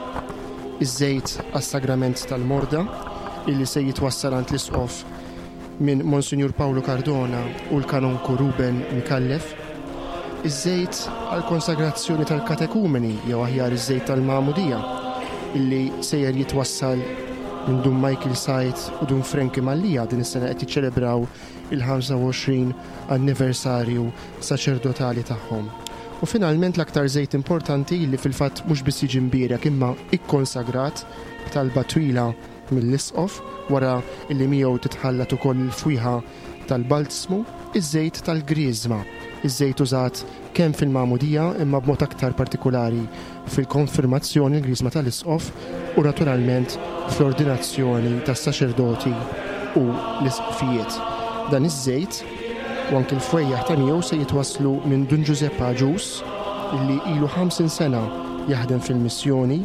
[SPEAKER 3] Iż-żejt għas-sagrament tal-morda, illi se jitwassal għand l-Isqof minn Monsinjur Pawlu Cardona u l-Kanonku Ruben Micallef, iż-żejt għall-konsagrazzjoni tal-katekumeni jew aħjar iż-żejt tal-magħmudija illi sejjer jitwassal minn Dun Michael Said u Dun Frankie Mallia din is-sena qed jiċċelebraw il-25 anniversarju saċerdotali tagħhom. U finalment l-aktar żejt importanti li fil-fatt mhux biss jiġi mbierek imma ikkonsagrat b'talba twila mill-Isqof, wara li miegħu titħallat ukoll il-fwieħa tal-balzmu, iż-żejt tal-griżma, iż-żejt użat kemm fil-magħmudija imma b'mod aktar partikulari fil-konfirmazzjoni, il-griżma tal-Isqof, u naturalment fl-ordinazzjoni tas-saċerdoti u l-isqfijiet. Dan iż-żejt u anki l-fwejjaħ ta' miegħu se jitwasslu minn Dun Ġużepp Agius, li ilu 50 sena jaħdem fil-missjoni,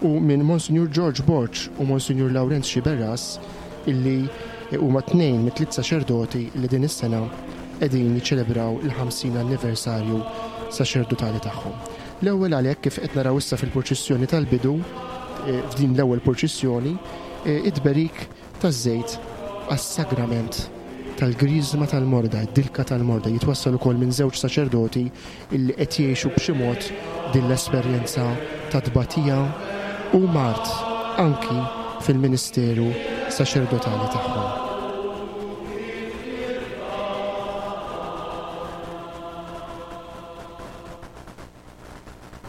[SPEAKER 3] u minn Monsinjur George Borg u Monsinjur Lawrenz Sciberras illi huma tnejn mit-tliet saċerdoti li din is-sena qegħdin jiċċelebraw il-50 anniversarju saċerdotali tagħhom. L-ewwel għalhekk kif qed naraw issa fil-purċissjoni tal-bidu, f'din l-ewwel purċissjoni, it-tberik taż-żejt għas-sagrament tal-griżma tal-morda, id-dilka tal-morda, jitwassal ukoll minn żewġ saċerdoti illi qed jgħixu b'xi mod din l-esperjenza ta' tbatija u mard anki fil-ministeru saċerdotali tagħhom.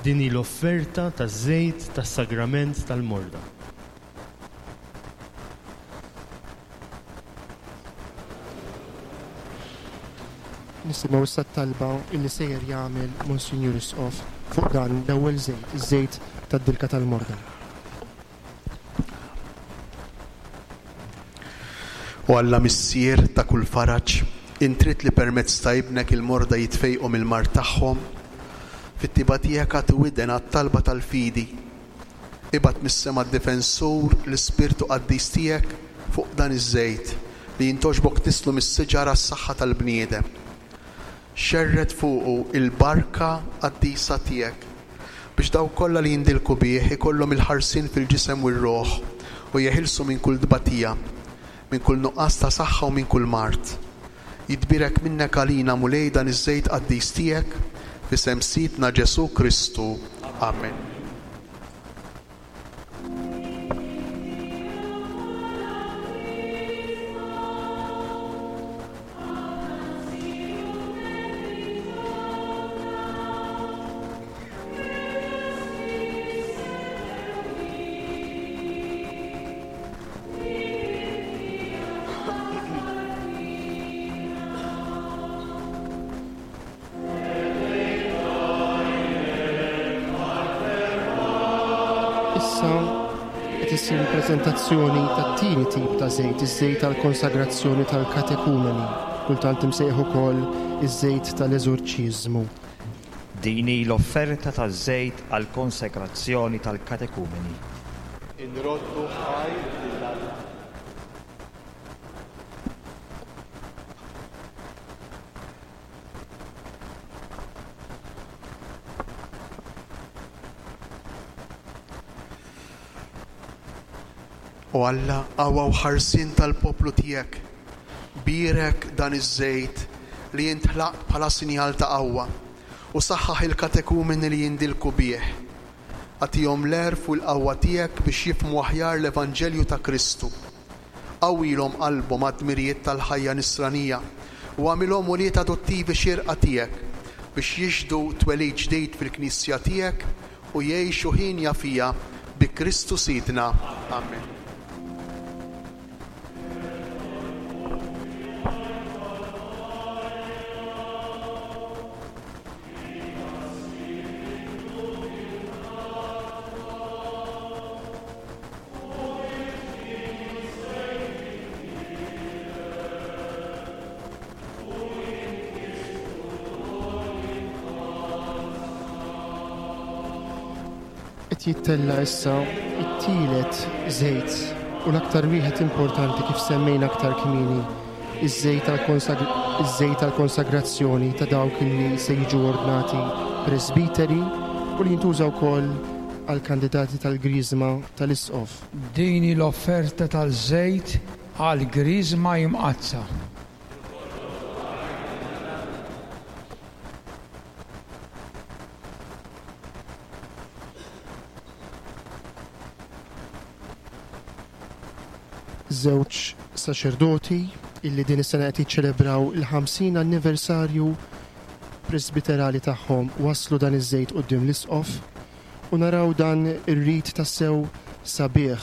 [SPEAKER 9] Din hi l-offerta taż-żejt tas-sagrament tal-morda.
[SPEAKER 3] Nisimgħu issa t-talba illi sejjer jagħmel Monsinjur Isqof fuq dan l-ewwel żejt, iż-żejt tad-dilka tal-morda.
[SPEAKER 4] O Alla Missier ta' kull faraġ, int trid li permezz ta' Ibnek il-morda jitfejqu mill-mard tagħhom. Fit-tiba tiegħek agħti widen għat-talba tal-fidi. Ibgħat mis-sema d-Difensur, l-Ispirtu Qaddis tiegħek, fuq dan iż-żejt, li jintgħoġbok tnisslu mis-siġar għas-saħħa tal-bniedem. Xerred fuqu l-barka qaddisa tiegħek, biex dawk kollha li jindilku bih ikollhom il-ħarsien fil-ġisem u r-ruħ u jeħilsu minn kull tbatija, minn kull nuqqas ta' saħħa u minn kull mard. Jitbierek minnek għalina, Mulej, dan iż-żejt qaddis tiegħek, f'isem Sidna Ġesù Kristu. Amen.
[SPEAKER 3] Issa qed issir il-preżentazzjoni tat-tieni tip ta' żejt, iż-żejt tal-konsagrazzjoni tal-katekumeni, kultant imsejjaħ ukoll iż-żejt tal-eżorċiżmu.
[SPEAKER 10] Din hi l-offerta taż-żejt għall-konsegrazzjoni tal-katekumeni.
[SPEAKER 4] Inroddu ħajr lil Alla. O Alla, qawwa u ħarsien tal-poplu tiegħek, bierek dan iż-żejt li int ħlaqt bħala sinjal ta' qawwa, u saħħaħ il-katekumeni li jindilku bih. Agħtihom l-għerf u l-qawwa tiegħek biex jifhmu aħjar l-Evanġelju ta' Kristu. Qawwilhom qalbhom għad-dmirijiet tal-ħajja nisranija u agħmilhom ulied adottivi xierqa tiegħek biex jixhdu twelid ġdid fil-Knisja tiegħek u jgħixu hienja fiha bi Kristu Sidna. Amen.
[SPEAKER 3] Qed jittella' issa t-tielet żejt u l-aktar wieħed importanti kif semmejna aktar kmieni, iż-żejt għall-konsagrazzjoni ta' dawk li se jiġu ordnati presbiteri u li jintuża wkoll għall-kandidati tal-Griżma tal-Isqof.
[SPEAKER 11] Din hi l-offerta taż-żejt għall-Griżma Imqaddsa.
[SPEAKER 3] Żewġ saċerdoti illi din is-sena qed jiċċelebraw il-50 anniversarju presbiterali tagħhom wasslu dan iż-żejt quddiem l-Isqof u naraw dan ir-rit tassew sabiħ,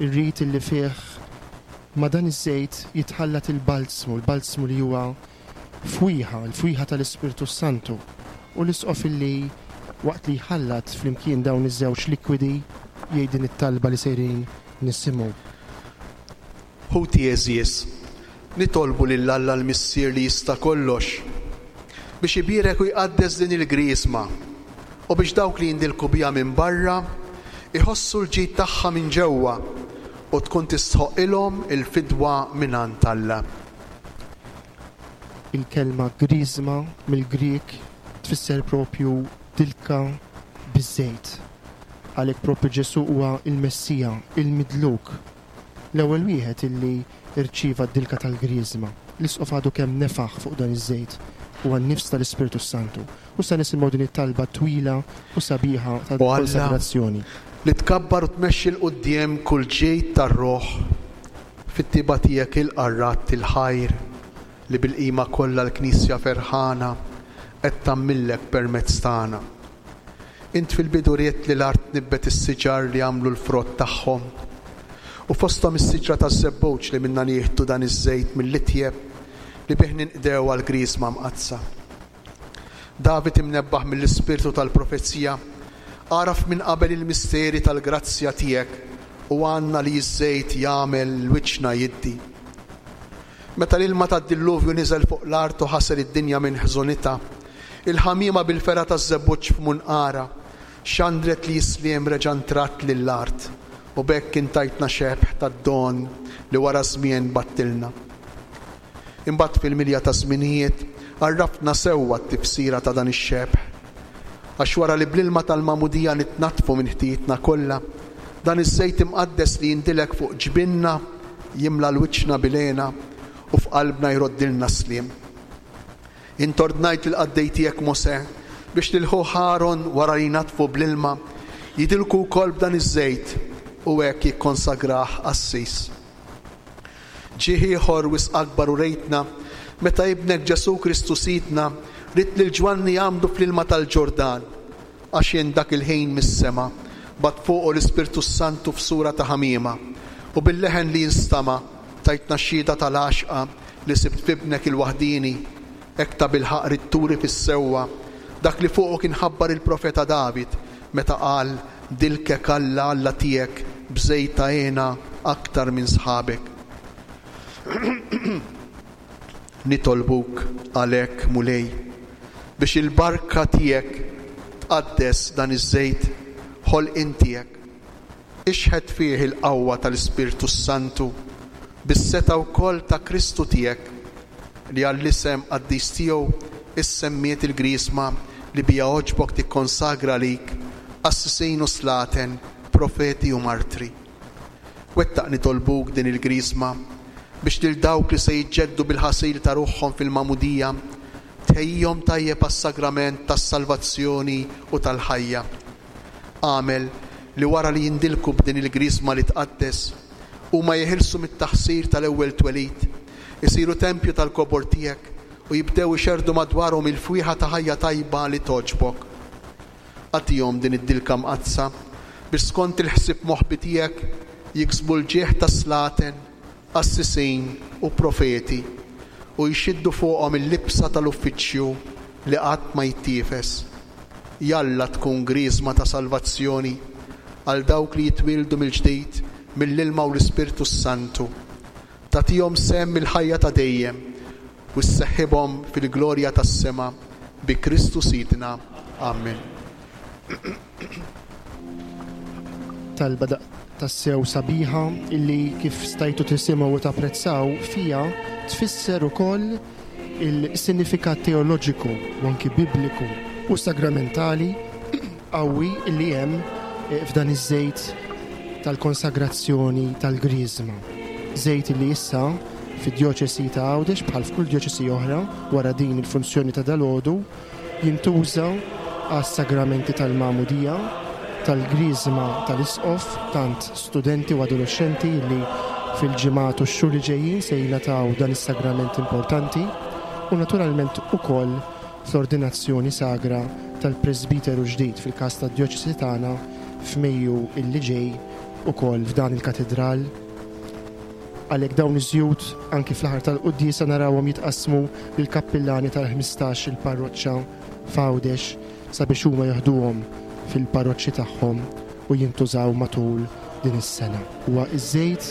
[SPEAKER 3] ir-rit illi fih ma' dan iż-żejt jitħallat il-balzmu, il-balzmu li huwa fwieħa, il-fwieħa tal-Ispirtu s-Santu, u l-Isqof illi waqt li jħallat flimkien dawn iż-żewġ likwidi jgħid din it-talba li sejrin nisimgħu.
[SPEAKER 4] Ħuti għeżież, nitolbu lil Alla l-Missier li jista' kollox biex ibierek u jqaddes din il-Griżma u biex dawk li jindilku biha minn barra jħossu l-ġid tagħha minn ġewwa u tkun tistħoqqilhom il-fidwa mingħand Alla.
[SPEAKER 3] Il-kelma griżma mill-Grieg tfisser propju dilka biż-żejt. Għalhekk propju Ġesù huwa l-Messija, il-Midluk, l-ewwel wieħed illi rċieva d-dilka tal-griżma. L-Isqof għadu kemm nefaħ fuq dan iż-żejt, huwa n-nifs tal-Ispirtu s-Santu. U issa nisimgħu din it-talba twila u sabiħa
[SPEAKER 4] O Alla,
[SPEAKER 3] tal-konsagrazzjoni.
[SPEAKER 4] li tkabbar u tmexxi 'l quddiem kull ġid tar-ruħ, Fit-tjieba tiegħek ilqa' r-radd il-ħajr li bil-qima kollha l-Knisja ferħana qed tagħmillek permezz tagħna. Int fil-bidu ridt li l-art tnibbet is-siġar li jagħmlu l-frott tagħhom, u fosthom is-siġra taż-żebbuġ li minnha nieħdu dan iż-żejt mill-itjeb li bih ninqdew għall-Griżma Mqaddsa. David imnebbaħ mill-ispirtu tal-profezija, għaraf minn qabel il-misteri tal-grazzja tiegħek u għanna li ż-żejt jagħmel l-wiċċna jiddi. Meta l-ilma tad-dilluvju niżel fuq l-art u ħasel id-dinja minn ħżunitha, il-ħamiema bil-fergħa taż-żebbuġ f'munqarha xandret li s-sliem reġa' ntradd lill-art u b'hekk intajtna xebh tad-don li wara żmien bgħattilna. Imbagħad fil-milja taż-żminijiet għarraftna sewwa t-tifsira ta' dan ix-xebh. Għax wara li bl-ilma tal-magħmudija nitnaddfu minn ħtijietna kollha, dan iż-żejt imqaddes li jindilek fuq ġbinna jimla l-wiċċna bil-hena u f'qalbna jroddilna s-sliem. Int ordnajt lill-qaddej tiegħek Mosè biex lil ħuh Aron wara li jnaddfu bl-ilma, jidilku wkoll b'dan iż-żejt u hekk jikkonsagrah qassis. Ġieħ ieħor wisq akbar urejtna meta Ibnek Ġesù Kristu Sidna ried lil Ġwanni jgħammdu fl-ilma tal-Ġordan, għax int dak il-ħin mis-sema bgħatt fuqu l-Ispirtu s-Santu f'sura ta' ħamiema, u bil-leħen li jinstama' tajtna xhieda tal-għaxqa li sibt f'Ibnek il-waħdieni, hekk tabilħaqq ridt turi fis-sewwa dak li fuqu kien ħabbar il-profeta David meta qal, Dilkek Alla, Alla tiegħek, b'żejt ta' hena aktar minn sħabek. Nitolbuk għalhekk, Mulej, biex il-barka tiegħek tqaddes dan iż-żejt ħolqien tiegħek. Ixħet fih il-qawwa tal-Ispirtu s-Santu, bis-setgħa wkoll ta' Kristu tiegħek, li għall-isem qaddis tiegħu issemmiet il-Griżma li biha għoġbok tikkonsagra għalik qassisin u slaten, profeti u martri. Wettaq nitolbuk din il-Griżma biex lil dawk li se jiġġeddu bil-ħasil ta' ruħhom fil-Magħmudija tħejjihom tajjeb għas-sagrament tas-salvazzjoni u tal-ħajja. Agħmel li wara li jindilku b'din il-Griżma li tqaddes, huma jeħilsu mit-taħsir tal-ewwel twelid, isiru tempju tal-kobor tiegħek u jibdew ixerrdu madwarhom il-fwieħa ta' ħajja tajba li togħġbok. Agħtihom din id-dilka mqaddsa biex skont il-ħsieb moħbi tiegħek jiksbu l-ġieħ ta' slaten, qassisin u profeti u jxiddu fuqhom il-libsa tal-uffiċċju li qatt ma jittiefes. Jalla tkun griżma ta' salvazzjoni għal dawk li jitwieldu mill-ġdid mill-ilma u l-Ispirtu s-Santu. Tagħtihom sehem mill-ħajja ta' dejjem u sseħħibhom fil-glorja tas-sema bi Kristu Sidna. Amen.
[SPEAKER 3] Talba tassew sabiħa illi kif stajtu tisimgħu u tapprezzaw fiha tfisser ukoll il-sinifikat teoloġiku u anki bibliku u sagramentali qawwi illi hemm eh, f'dan iż-żejt tal-konsagrazzjoni tal-Griżma. Żejt illi issa fid-djoċesi ta' Għawdex bħal f'kull djoċesi oħra wara din il-funzjoni ta' dalgħodu Jintuża għas-sagramenti tal-Magħmudija, tal-Griżma tal-Isqof, tant studenti u adolexxenti li fil-ġimgħat u x-xhur li ġejjin se jingħataw dan is-sagrament importanti, u naturalment ukoll fl-ordinazzjoni sagra tal-presbiteru ġdid fil-każ tad-djoċesi tagħna f'Mejju illi ġej ukoll f'dan il-katidral. Għalhekk dawn iż-żjut anki fl-aħħar tal-quddiesa narawhom jitqassmu lill-kappillani tal-15 il-parroċċa f'Għawdex sabiex huma joħduhom fil-parroċċi tagħhom u jintużaw matul din is-sena. Huwa ż-żejt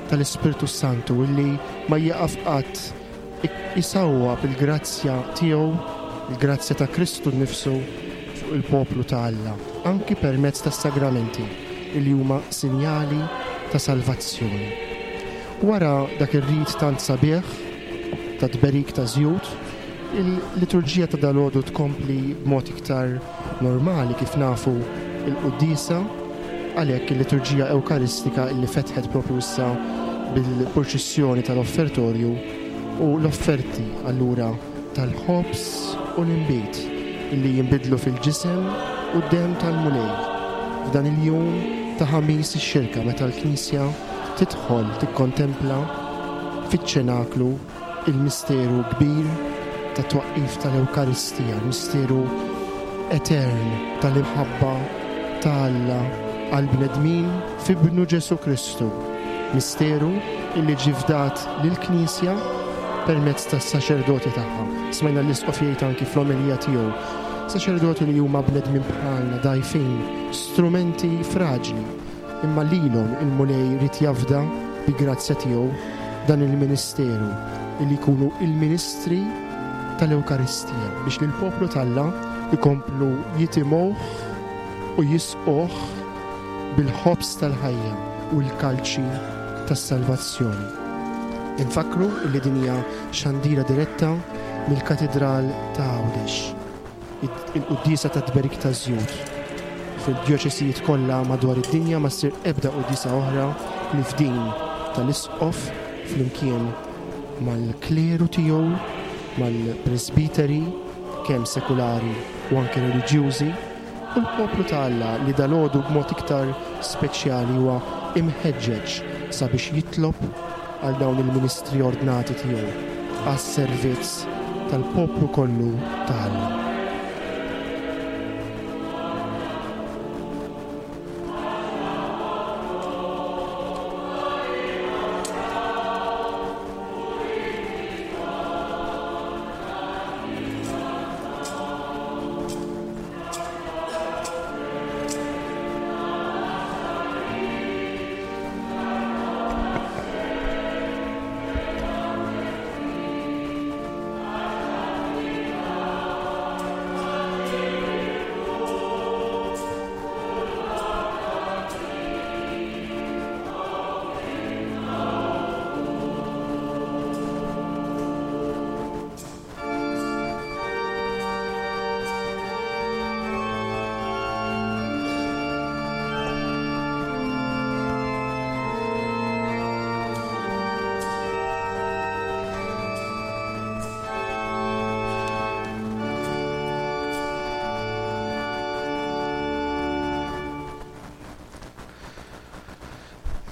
[SPEAKER 3] tal-Ispirtu s-Santu illi ma jieqaf qatt isawwab il-grazzja tiegħu, il-grazzja ta' Kristu nnifsu fuq il-poplu ta' Alla, anki permezz tas-sagramenti li huma sinjali ta' salvazzjoni. Wara dak ir-rit tant sabiħ ta' tberik ta' żjut, il-liturġija ta' dalgħodu tkompli b'mod iktar normali kif nafu l-quddiesa, għalhekk il-liturġija Ewkaristika illi fetħet propju issa bil-purċissjoni tal-offertorju u l-offerti allura tal-ħobż u l-inbid illi jinbidlu fil-ġisem u d-demm tal-Mulej f'dan il-jum ta' Ħamis ix-Xirka meta l-Knisja tidħol tikkontempla fiċ-ċenaklu il-misteru kbir tat-twaqqif tal-Ewkaristija, il-misteru etern tal-imħabba ta' Alla għall-bnedmin f'Ibnu Ġesù Kristu, misteru illi ġie fdat lill-Knisja permezz tas-saċerdoti tagħha. Smajna l-Isqof jgħid anki fl-omelija tiegħu, saċerdoti li huma bnedmin bħalna, dgħajfin, strumenti fraġli, Imma lilhom il-Mulej ried jafda bi grazzja tiegħu dan il-ministeru illi jkunu il-ministri tal-Ewkaristija biex lill-poplu t'Alla jkomplu jitimgħuh u jisquh bil-ħobż tal-ħajja u l-kalċi tas-salvazzjoni. Infakkru illi din hija xandira diretta mill-Katidral ta' Għawdex. Il-quddiesa tat-tberik taż-żjut. Fil-djoċesijiet kollha madwar id-dinja ma ssir ebda quddiesa oħra ħlief din tal-isqof flimkien mal-kleru tiegħu, mal-presbiteri, kemm sekulari u anke reliġjużi, u l-poplu ta' Alla li dalgħodu b'mod iktar speċjali huwa imħeġġeġ sabiex jitlob għal dawn il-ministri ordnati tiegħu għas-servizz tal-poplu kollu ta' Alla.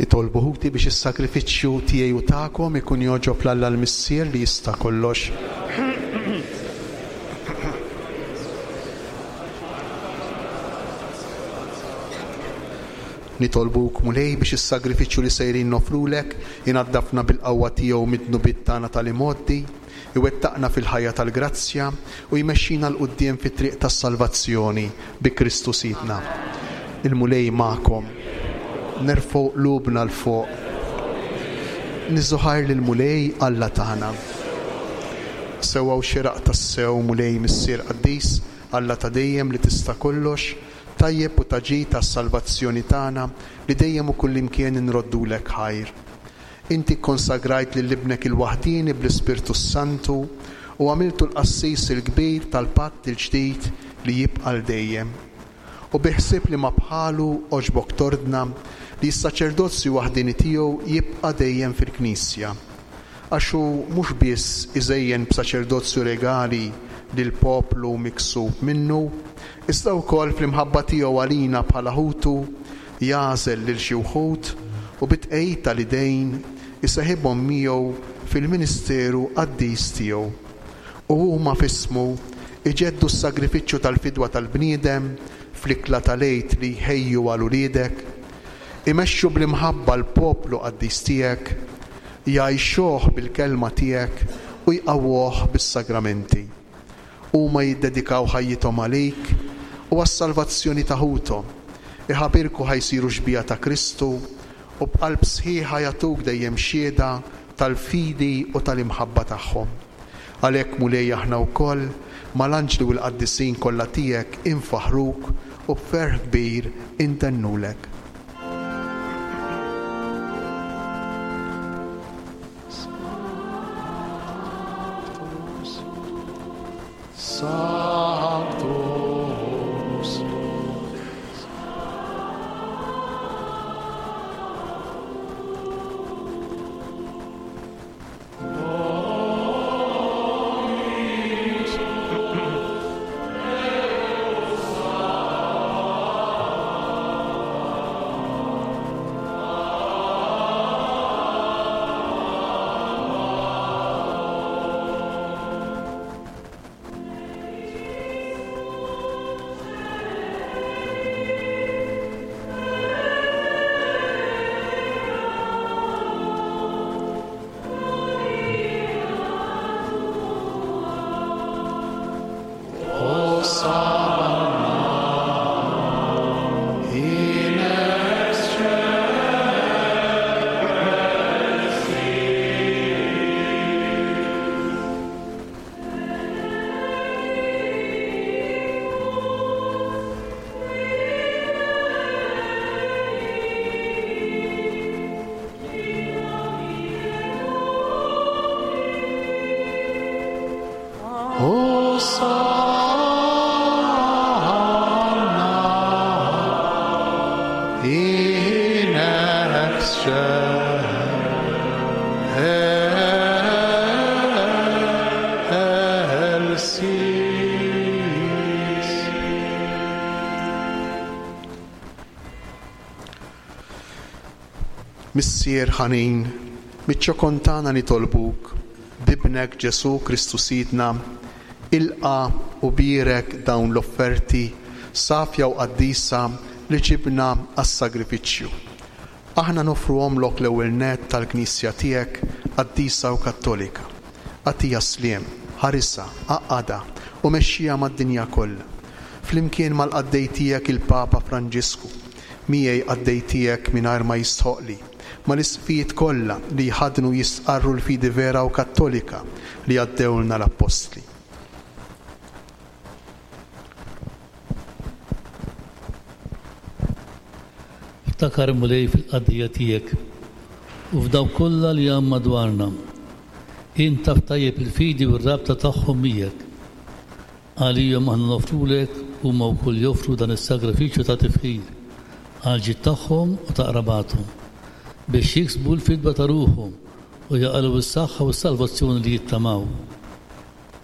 [SPEAKER 4] Itolbu ħuti biex is-sagrifiċċju tiegħi u tagħkom ikun jogħġob 'l Alla l-Missier li jista' kollox. Nitolbuk, Mulej, biex is-sagrifiċċju li sejrin noffrulek inaddafna bil-qawwa tiegħu mid-dnubiet tagħna tal-imgħoddi, iwettaqna fil-ħajja tal-grazzja u jmexxina 'l quddiem fit-triq tas-salvazzjoni bi Kristu Sidna. Il-Mulej magħkom. Nerfgħu qlubna 'l fuq. Niżżu ħajr lill-Mulej Alla tagħna. Sewwa u xieraq tassew, Mulej Missier qaddis, Alla ta' dejjem li tista' kollox, Tajjeb u ta' ġid għas-salvazzjoni tagħna li dejjem u kullimkien inroddulek ħajr. Inti kkonsagrajt lil Ibnek il-waħdieni bl-Ispirtu s-Santu u għamiltu l-Qassis il-Kbir tal-patt il-ġdid li jibqa' għal dejjem. U bi ħsieb li ma bħalu għoġbok tordna li s-saċerdozju waħdieni tiegħu jibqa' dejjem fil-Knisja. Għax hu mhux biss iżejjen b'saċerdozju regali lill-poplu miksub minnu, iżda wkoll fl-imħabba tiegħu għalina bħala ħutu, jagħżel lil xi wħud u bit-tqegħid tal-idejn iseħibhom miegħu fil-ministeru qaddis tiegħu. U huma f'ismu jġeddu s-sagrifiċċju tal-fidwa tal-bniedem fl-ikla tal-Għid li jħejju għal uliedek, imexxu bl-imħabba l-poplu qaddis tiegħek, jgħajxuh bil-kelma tiegħek u jqawwuh bis-sagramenti. Huma jiddedikaw ħajjithom għalik u għas-salvazzjoni ta' ħuthom, iħabirku ħa jsiru xbieha ta' Kristu u b'qalb sħiħa jagħtuk dejjem xhieda tal-fidi u tal-imħabba tagħhom. Għalhekk, Mulej, aħna wkoll, mal-anġli u l-qaddisin kollha tiegħek infaħħruk u b'ferħ kbir intennulek. Sanctus. Missier ħanin, miċ-ċokon tagħna nitolbuk, b'Ibnek Ġesù Kristu Sidna, ilqa' u bierek dawn l-offerti safja u qaddisa li ġibna għas-sagrifiċċju. Aħna noffruhomlok l-ewwel nett tal-Knisja tiegħek qaddisa u kattolika. Agħtiha s-sliem, ħarisha, għaqqadha u mexxiha mad-dinja kollha. Flimkien mal-qaddej tiegħek il-Papa Franġisku, miegħi qaddej tiegħek mingħajr ma jistħoqqli, mal-isqfijiet kollha li jħaddnu u jistqarru l-fidi vera u kattolika li għaddewlna l-Appostli.
[SPEAKER 12] Ftakar, Mulej, fil-qaddejja tiegħek u f'dawk kollha li hawn madwarna. Int taf tajjeb il-fidi u r-rabta tagħhom miegħek. Għalihom aħna noffrulek, huma wkoll joffru dan is-sagrifiċċju ta' tifħir, għall-ġid tagħhom u ta' qrabathom, biex jiksbu l-fidwa ta' ruħhom u jaqalgħu s-saħħa u s-salvazzjoni li jittamaw.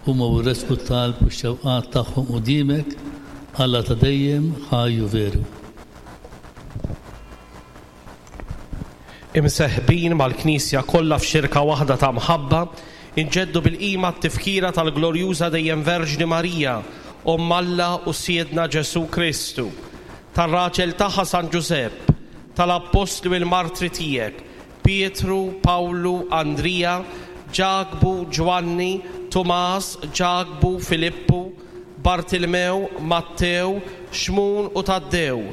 [SPEAKER 12] Huma u jressqu t-talb u x-xewqat tagħhom quddiemek, Alla ta' dejjem, ħaj u veru.
[SPEAKER 13] Imseħbin mal-Knisja kollha f'xirka waħda ta' mħabba, inġeddu bil-qima t-tifkira tal-glorjuża dejjem Verġni Marija, Omm Alla u Sidna Ġesù Kristu, tar-raġel tagħha San Ġużepp, tal-Appostli u l-Martri tiegħek, Pietru, Pawlu, Andrija, Ġakbu, Ġwanni, Tumas, Ġakbu, Filippu, Bartilmew, Mattew, Xmun u Taddew,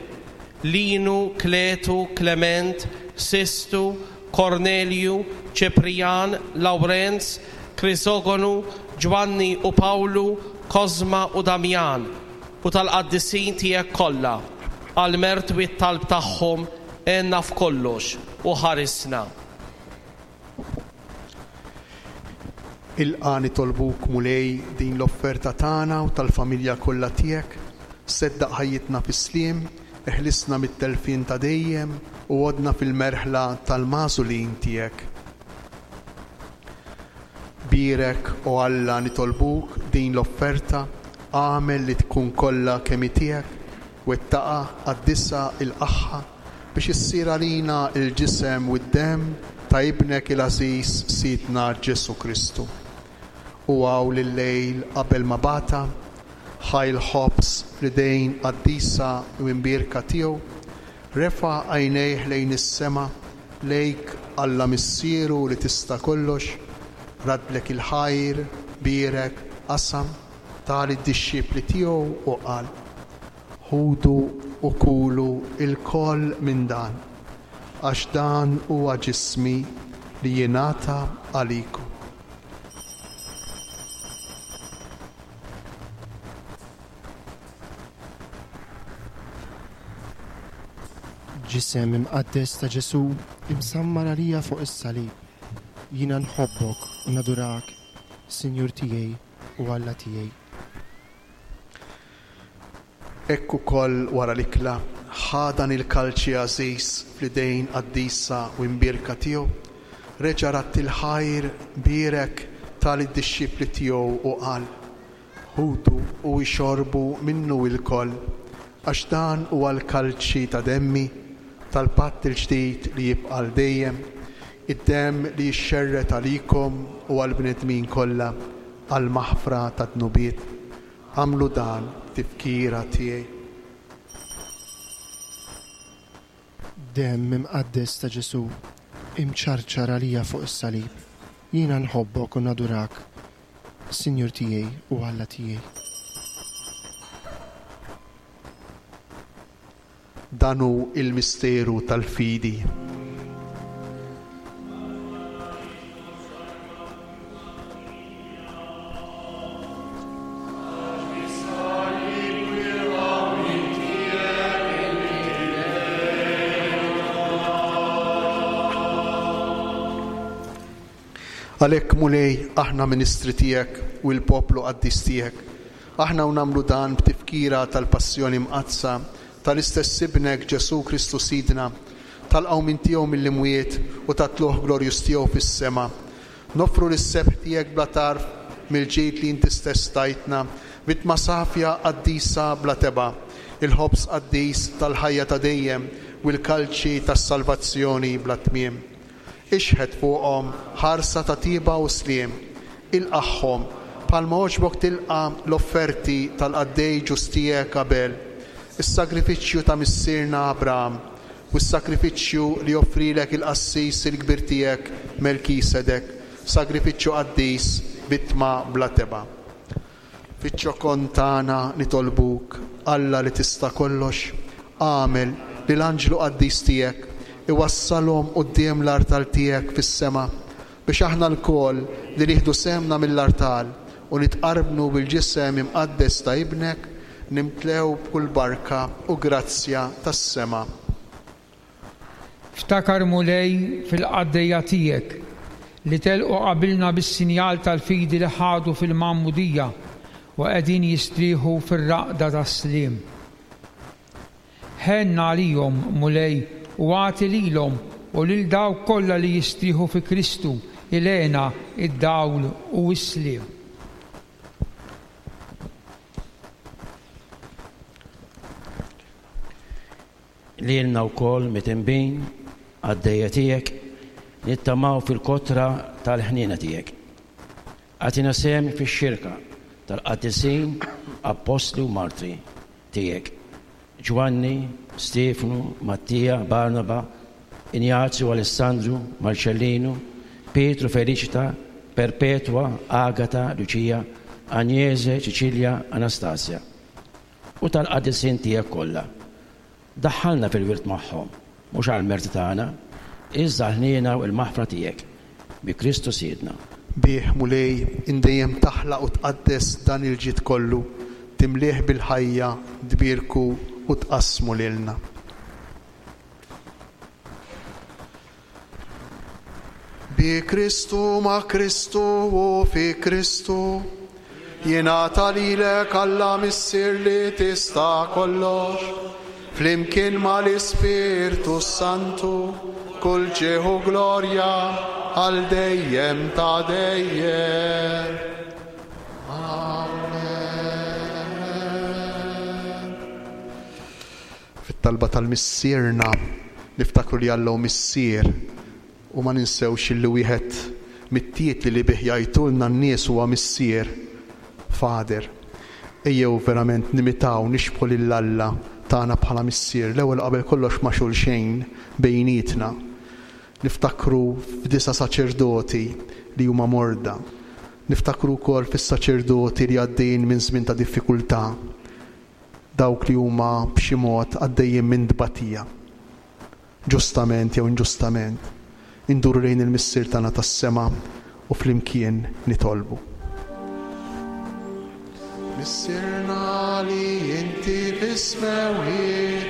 [SPEAKER 13] Linu, Kletu, Klement, Sistu, Kornelju, Ċiprijan, Lawrenz, Krisogonu, Ġwanni u Pawlu, Kosma u Damjan, u tal-qaddisin tiegħek kollha. Għall-mertu t-talb tagħhom għenna f'kollox u ħarisna.
[SPEAKER 4] Ilqa' nitolbuk, Mulej, din l-offerta tagħna u tal-familja kollha tiegħek, seddaq ħajjitna fis-sliem, eħlisna mit-telfien ta' dejjem u għoddna fil-merħla tal-magħżulin tiegħek. Bierek, o Alla, nitolbuk, din l-offerta, agħmel li tkun kollha kemm hi tiegħek, wettaqha, qaddisha, ilqagħha, biex issir għalina l-ġisem u d-demm ta' Ibnek il-għażiż Sidna Ġesù Kristu. U hawn il-lejl qabel ma bagħatha, ħa l-ħobż fl-idejn qaddisa u imbierka tiegħu, refa' għajnejh lejn is-sema, lejk Alla Missieru li tista' kollox, raddlek il-ħajr, bierek, qasam, ta lid-dixxipli tiegħu u qal, Ħudu u kulu lkoll minn dan, għax dan huwa ġismi li jingħata għalikom.
[SPEAKER 3] Ġisem imqaddes ta' Ġesù imsammar għalija fuq is-salib, jiena nħobbok u nadurak, Sinjur tiegħi u Alla tiegħi.
[SPEAKER 4] Hekk ukoll wara l-ikla, ħa dan il-kalċi għażiż fl-idejn qaddisa u imbierka tiegħu, reġa' radd il-ħajr, bierek, ta lid-dixxipli tiegħu u qal, Ħudu u ixorbu minnu ilkoll, għax dan huwa l-kalċi ta' demmi, tal-patt il-ġdid li jibqa' għal dejjem, id-demm li jixxerred għalikom u għall-bnedmin kollha għall-maħfra tad-dnubiet. Agħmlu dan b'tifkira tiegħi.
[SPEAKER 3] Demm imqaddes ta' Ġesù, imċarċar għalija fuq is-salib, jiena nħobbok u nadurak, Sinjur tiegħi u Alla tiegħi.
[SPEAKER 4] Dan hu l-misteru tal-fidi. Għalhekk, Mulej, aħna ministri tiegħek u l-poplu qaddis tiegħek. Aħna u nagħmlu dan b'tifkira tal-Passjoni Mqaddsa tal-istess Ibnek Ġesù Kristu Sidna, tal-qawmien tiegħu mill-imwiet u tat-tlugħ glorjuż tiegħu fis-sema. Noffru lis-sebħ tiegħek bla tarf mill-ġid li inti stess tajtna, vittma safja qaddisa bla tebgħa, il-ħobż qaddis tal-ħajja ta' dejjem u l-kalċi tas-salvazzjoni bla tmiem. Ixħet fuqhom ħarsa ta' tieba u sliem. Ilqagħhom, bħalma għoġbok tilqa' l-offerti tal-qaddej ġust tiegħek Abel, is-sagrifiċċju ta' missierna Abraham, u s-sagrifiċċju li offrielek il-qassis il-kbir tiegħek Melkisedek, sagrifiċċju qaddis, vittma bla tebgħa. Fiċ-ċokon tagħna nitolbuk, Alla li tista' kollox, agħmel li l-anġlu qaddis tiegħek iwassalhom quddiem l-artal tiegħek fis-sema, biex aħna lkoll li nieħdu sehemna mill-artal u nitqarbnu bil-ġisem imqaddes ta' Ibnek, nimtlew b'kull barka u grazzja tas-sema.
[SPEAKER 11] Ftakar, Mulej, fil-qaddejja tiegħek li telqu qabilna bis-sinjal tal-fidi li ħadu fil-magħmudija u qegħdin jistrieħu fir-raqda tas-sliem. Ħenn għalihom, Mulej, u agħti lilhom u lil dawk kollha li jistrieħu fi Kristu l-hena, id-dawl u s-sliem.
[SPEAKER 14] Lilna wkoll mitinbin, qaddejja tiegħek, nittamaw fil-kotra tal-ħniena tiegħek. Agħtina sehem fix-xirka tal-qaddisin, appostli u martri tiegħek, Ġwanni, Stiefnu, Mattija, Barnaba, Injazju, Alessandru, Marċellinu, Pietru, Feliċita, Perpetwa, Agata, Luċija, Anjese, Ċiċilja, Anastasja. U tal-qaddisin tiegħek kollha. Daħħalna fil-wirt magħhom, mhux għall-merti tagħna, iżda għall-ħniena u l-maħfra tiegħek, bi Kristu Sidna.
[SPEAKER 4] Bih, Mulej, int dejjem taħlaq u tqaddes dan il-ġid kollu, timlieh bil-ħajja, tbierku u tqassmu lilna. Bi Kristu, ma' Kristu u fi Kristu, jingħata lilek Alla Missier li tista' kollox, flimkien mal-Ispirtu s-Santu, kull ġieħ u glorja għal dejjem ta' dejjem. Amen. Fit-talba tal-Missierna niftakru li Alla hu Missier u ma ninsewx illi wieħed mit-titli li bih jgħajtulna n-nies huwa Missier, Father. Ejjew verament nimitaw, nixbħu lil Alla tagħna bħala Missier, l-ewwel u qabel kollox ma' xulxejn, bejnietna. Niftakru f'disa' saċerdoti li huma morda. Niftakru wkoll fis-saċerdoti li għaddejjin minn żmien ta' diffikultà. Dawk li huma b'xi mod għaddejjin minn tbatija, ġustament jew inġustament, induru lejn il-Missier tagħna tas-sema u flimkien nitolbu. Missierna li inti fis-smewwiet,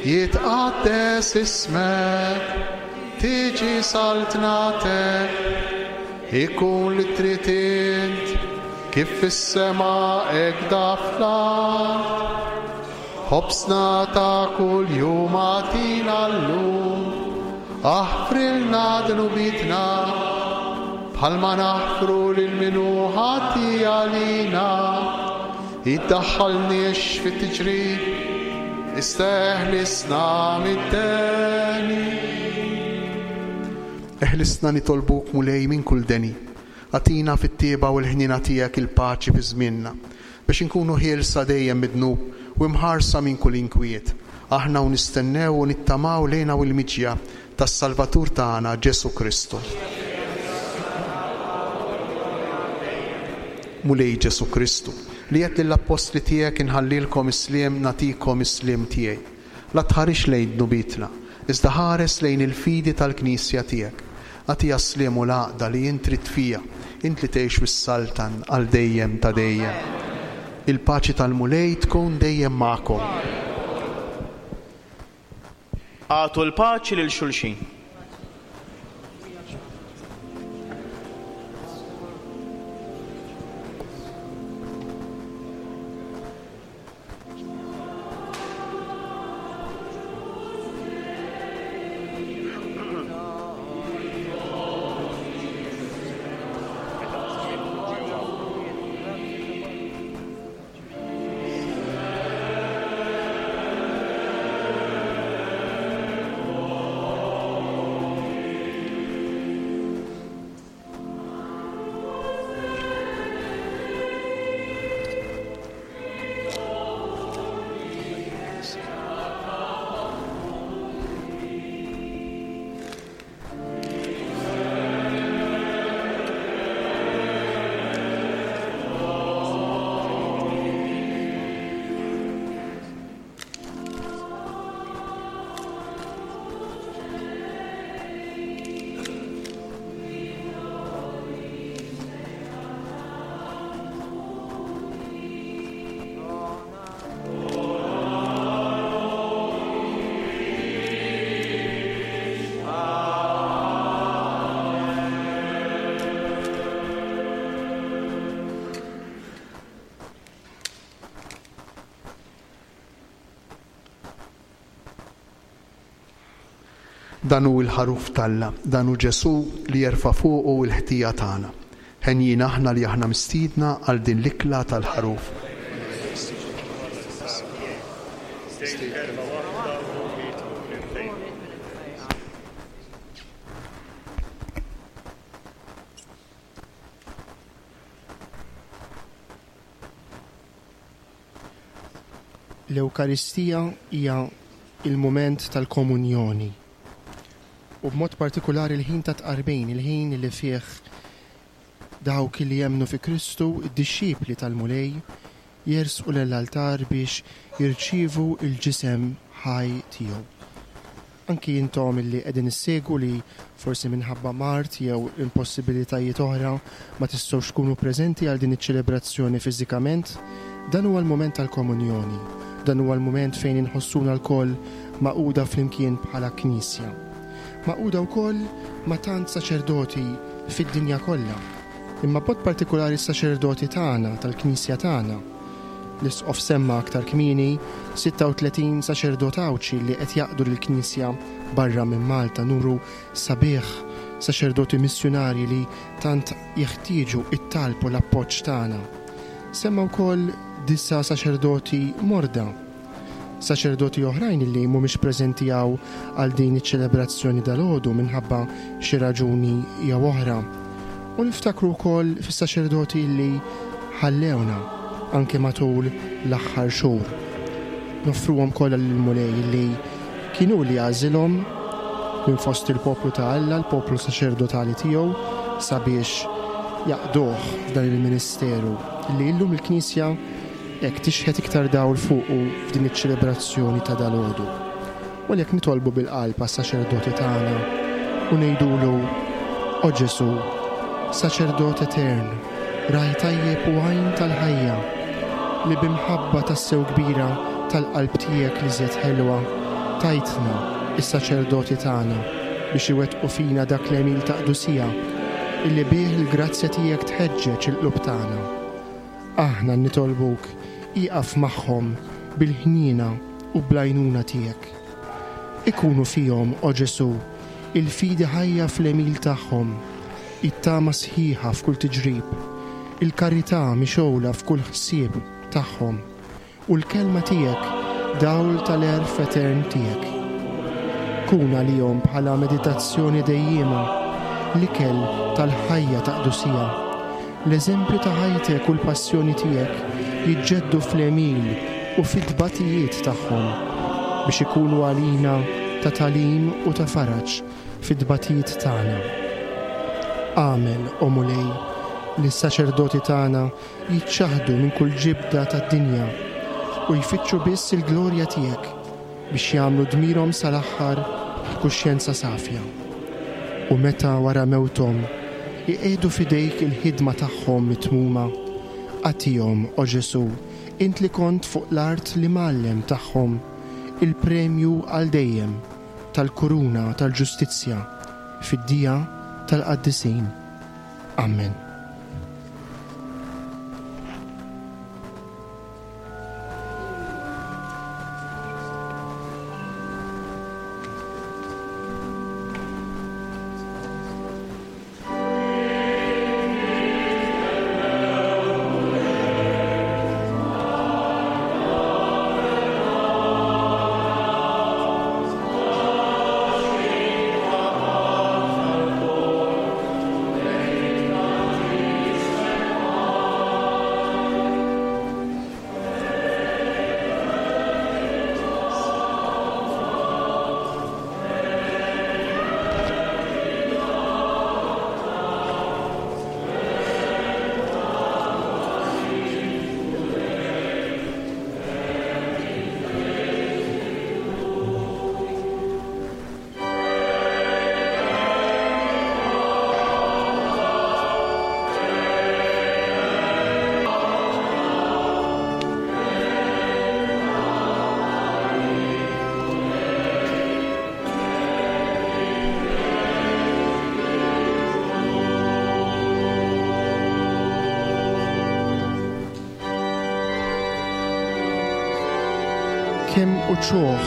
[SPEAKER 4] jitqaddes ismek, tiġi saltnatek, ikun li trid int, Kif fis-sema hekk da fl-art. Ħobżna ta' kuljum agħtina llum. Aħfrilna dnubietna, bħalma naħfru lil min hu ħati għalina. Iddaħħalniex fit-tiġrib, iżda eħlisna mid-deni. Eħlisna nitolbuk Mulej minn kull deni. Agħtina fit-tjieba u l-ħniena tiegħek il-paċi fi żmienna, biex inkunu ħielsa dejjem mid-dnub u imħarsa minn kull inkwiet, aħna u nistennew u nittamaw lejna u l-miġja tas-Salvatur tagħna Ġesù Kristu. Mulej Ġesù Kristu, li għedt lill-appostli tiegħek inħallilkom is-sliem nagħtikom is-sliem tiegħi. La tħarisx lejn dnubietna, iżda ħares lejn il-fidi tal-Knisja tiegħek. Agħtiha s-sliem u l-għaqda li int trid fiha, int li tgħix u ssaltan għal dejjem ta' dejjem. Il-paċi tal-Mulej tkun dejjem magħkom.
[SPEAKER 8] Agħtu l-paċi lil xulxin.
[SPEAKER 4] Dan hu l-Ħaruf t'Alla, dan hu Ġesù li jerfa' fuqu l-ħtija tagħna. Henjin aħna li aħna mistiedna għal din l-ikla tal-Ħaruf.
[SPEAKER 3] L-Ewkaristija hija l-mument tal-komunjoni u b'mod partikulari l-ħin tat-tqarbin, il-ħin li fih dawk li jemmnu fi Kristu, id-dixxipli tal-Mulej, jersqu lill-altar biex jirċievu l-ġisem ħaj tiegħu. Anki intom illi qegħdin issegwu li forsi minħabba mard jew impossibilitajiet oħra ma tistgħux tkunu preżenti għal din iċ-ċelebrazzjoni fiżikament, dan huwa l-mument tal-komunjoni. Dan huwa l-mument fejn inħossuna lkoll magħquda flimkien bħala Knisja. Magħquda wkoll ma' tant saċerdoti fid-dinja kollha, imma b'mod partikulari s-saċerdoti tagħna, tal-Knisja tagħna. L-Isqof semma aktar kmieni 36 saċerdot Għawdxi li qed jaqdu lill-Knisja barra minn Malta, numru sabiħ, saċerdoti missjunarji li tant jeħtieġu t-talb u l-appoġġ tagħna. Semma wkoll disa' saċerdoti morda. Saċerdoti oħrajn li mhumiex preżenti hawn għal din iċ-ċelebrazzjoni dalgħodu minħabba xi raġuni jew oħra. U niftakru wkoll fis-saċerdoti li ħallewna anke matul l-aħħar xhur. Noffruhom kollha lill-Mulej li kien hu li għażilhom minn fost il-poplu ta' Alla, l-poplu saċerdotali tiegħu, sabiex jaqduh f'dan il-ministeru li llum il-Knisja Hekk tixħet iktar dawl fuqu f'din iċ-ċelebrazzjoni ta' dalgħodu. U għalhekk nitolbu bil-qalb għas-saċerdoti tagħna u ngħidulu, O Ġesù, Saċerdot etern, Ragħaj tajjeb u għajn tal-ħajja, li bi mħabba tassew kbira tal-qalb tiegħek l-iżjed ħelwa tajtna s-saċerdoti tagħna biex iwettqu fina dak l-għemil ta' qdusija illi bih il-grazzja tiegħek tħeġġeġ il-qlub tagħna. Aħna nitolbuk, ieqaf magħhom bil-ħniena u bl-għajnuna tiegħek. Ikunu fihom, o Ġesù, il-fidi ħajja fl-għemil tagħhom, it-tama sħiħa f'kull tiġrib, il-karità mixgħula f'kull ħsieb tagħhom. U l-kelma tiegħek dawl tal-għerf etern tiegħek. Kun għalihom bħala meditazzjoni dejjiema, l-ikel tal-ħajja ta' qdusija. L-eżempju ta' ħajtek u l-passjoni tiegħek jiġġeddu fl-għemil u fit-tbatijiet tagħhom, biex ikunu għalina ta' tagħlim u ta' faraġ fit-tbatijiet tagħna. Agħmel, o Mulej, li s-saċerdoti tagħna jiċċaħħdu minn kull ġibda tad-dinja u jfittxu biss il-glorja tiegħek biex jagħmlu dmirhom sal-aħħar b'kuxjenza safja. U meta wara mewthom iqiegħdu f'idejk il-ħidma tagħhom mitmuma, agħtihom, o Ġesù, int li kont fuq l-art l-imgħallem tagħhom, il-premju għal dejjem tal-kuruna tal-ġustizzja fid-dija tal-qaddisin. Amen. Kemm uċuħ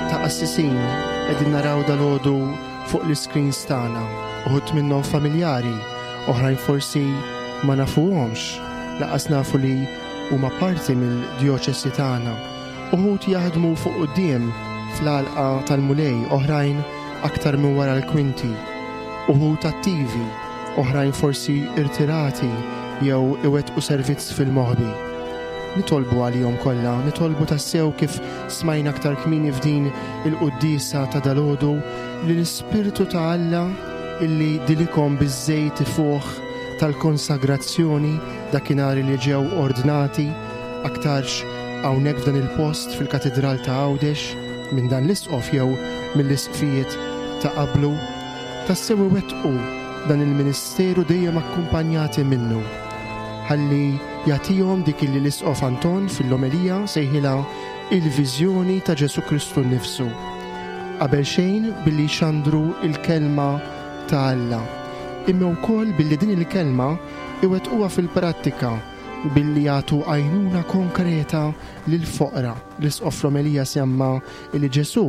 [SPEAKER 3] ta' qassisin qegħdin naraw dalgħodu fuq l-iscreens tagħna, uħud minnhom familjari, oħrajn forsi ma nafuhomx, laqas nafu li huma parti mill-djoċesi tagħna. Uħud jaħdmu fuq quddiem fl-għalqa tal-Mulej, oħrajn aktar minn wara l-kwinti. Uħud attivi, oħrajn forsi irtirati jew iwettqu servizz fil-moħbi. Nitolbu għalihom kollha, nitolbu tassew kif smajna aktar kmieni f'din il-quddiesa ta' dalgħodu li l-Ispirtu ta' Alla illi dilikhom biż-żejt ifuħ tal-konsagrazzjoni dakinhar li ġew ordnati aktarx hawnhekk f'dan il-post fil-Katidral ta' Għawdex minn dan l-Isqof jew mill-Isqfijiet ta' qablu, tassew iwettqu dan il-ministeru dejjem akkumpanjati minnu. Ħalli jagħtihom dik illi l-Isqof Anton fil-omelija sejħilha il-viżjoni ta' Ġesù Kristu nnifsu. Qabel xejn billi jxandru l-Kelma ta' Alla, imma wkoll billi din il-Kelma iwettquha fil-prattika billi jagħtu għajnuna konkreta lill-foqra. L-Isqof fl-omelija semma li Ġesù,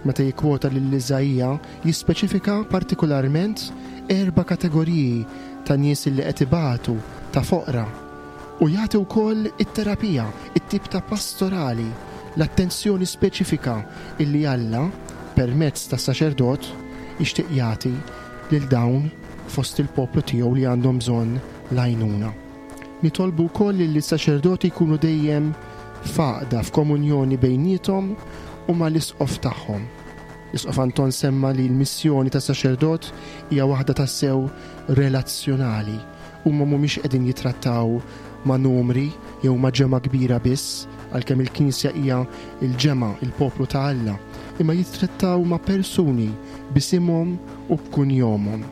[SPEAKER 3] meta jikkwota lil Iżaija, jispeċifika partikularment erba' kategoriji ta' nies li qed ibatu, ta' foqra. U jagħti wkoll it-terapija, it-tip ta' pastorali, l-attenzjoni speċifika illi Alla, permezz tas-saċerdot, jixtieq jagħti lil dawn fost il-poplu tiegħu li għandhom bżonn l-għajnuna. Nitolbu wkoll illi s-saċerdoti jkunu dejjem f'għaqda, f'komunjoni bejniethom u mal-Isqof tagħhom. L-Isqof Anton semma li l-missjoni tas-saċerdot hija waħda tassew relazzjonali. Huma mhumiex qegħdin jittrattaw ma' numri jew ma' ġemgħa kbira biss, għalkemm il-Knisja hija l-ġemgħa, il-poplu ta' Alla, imma jittrattaw ma' persuni b'isimhom u b'kunjomhom.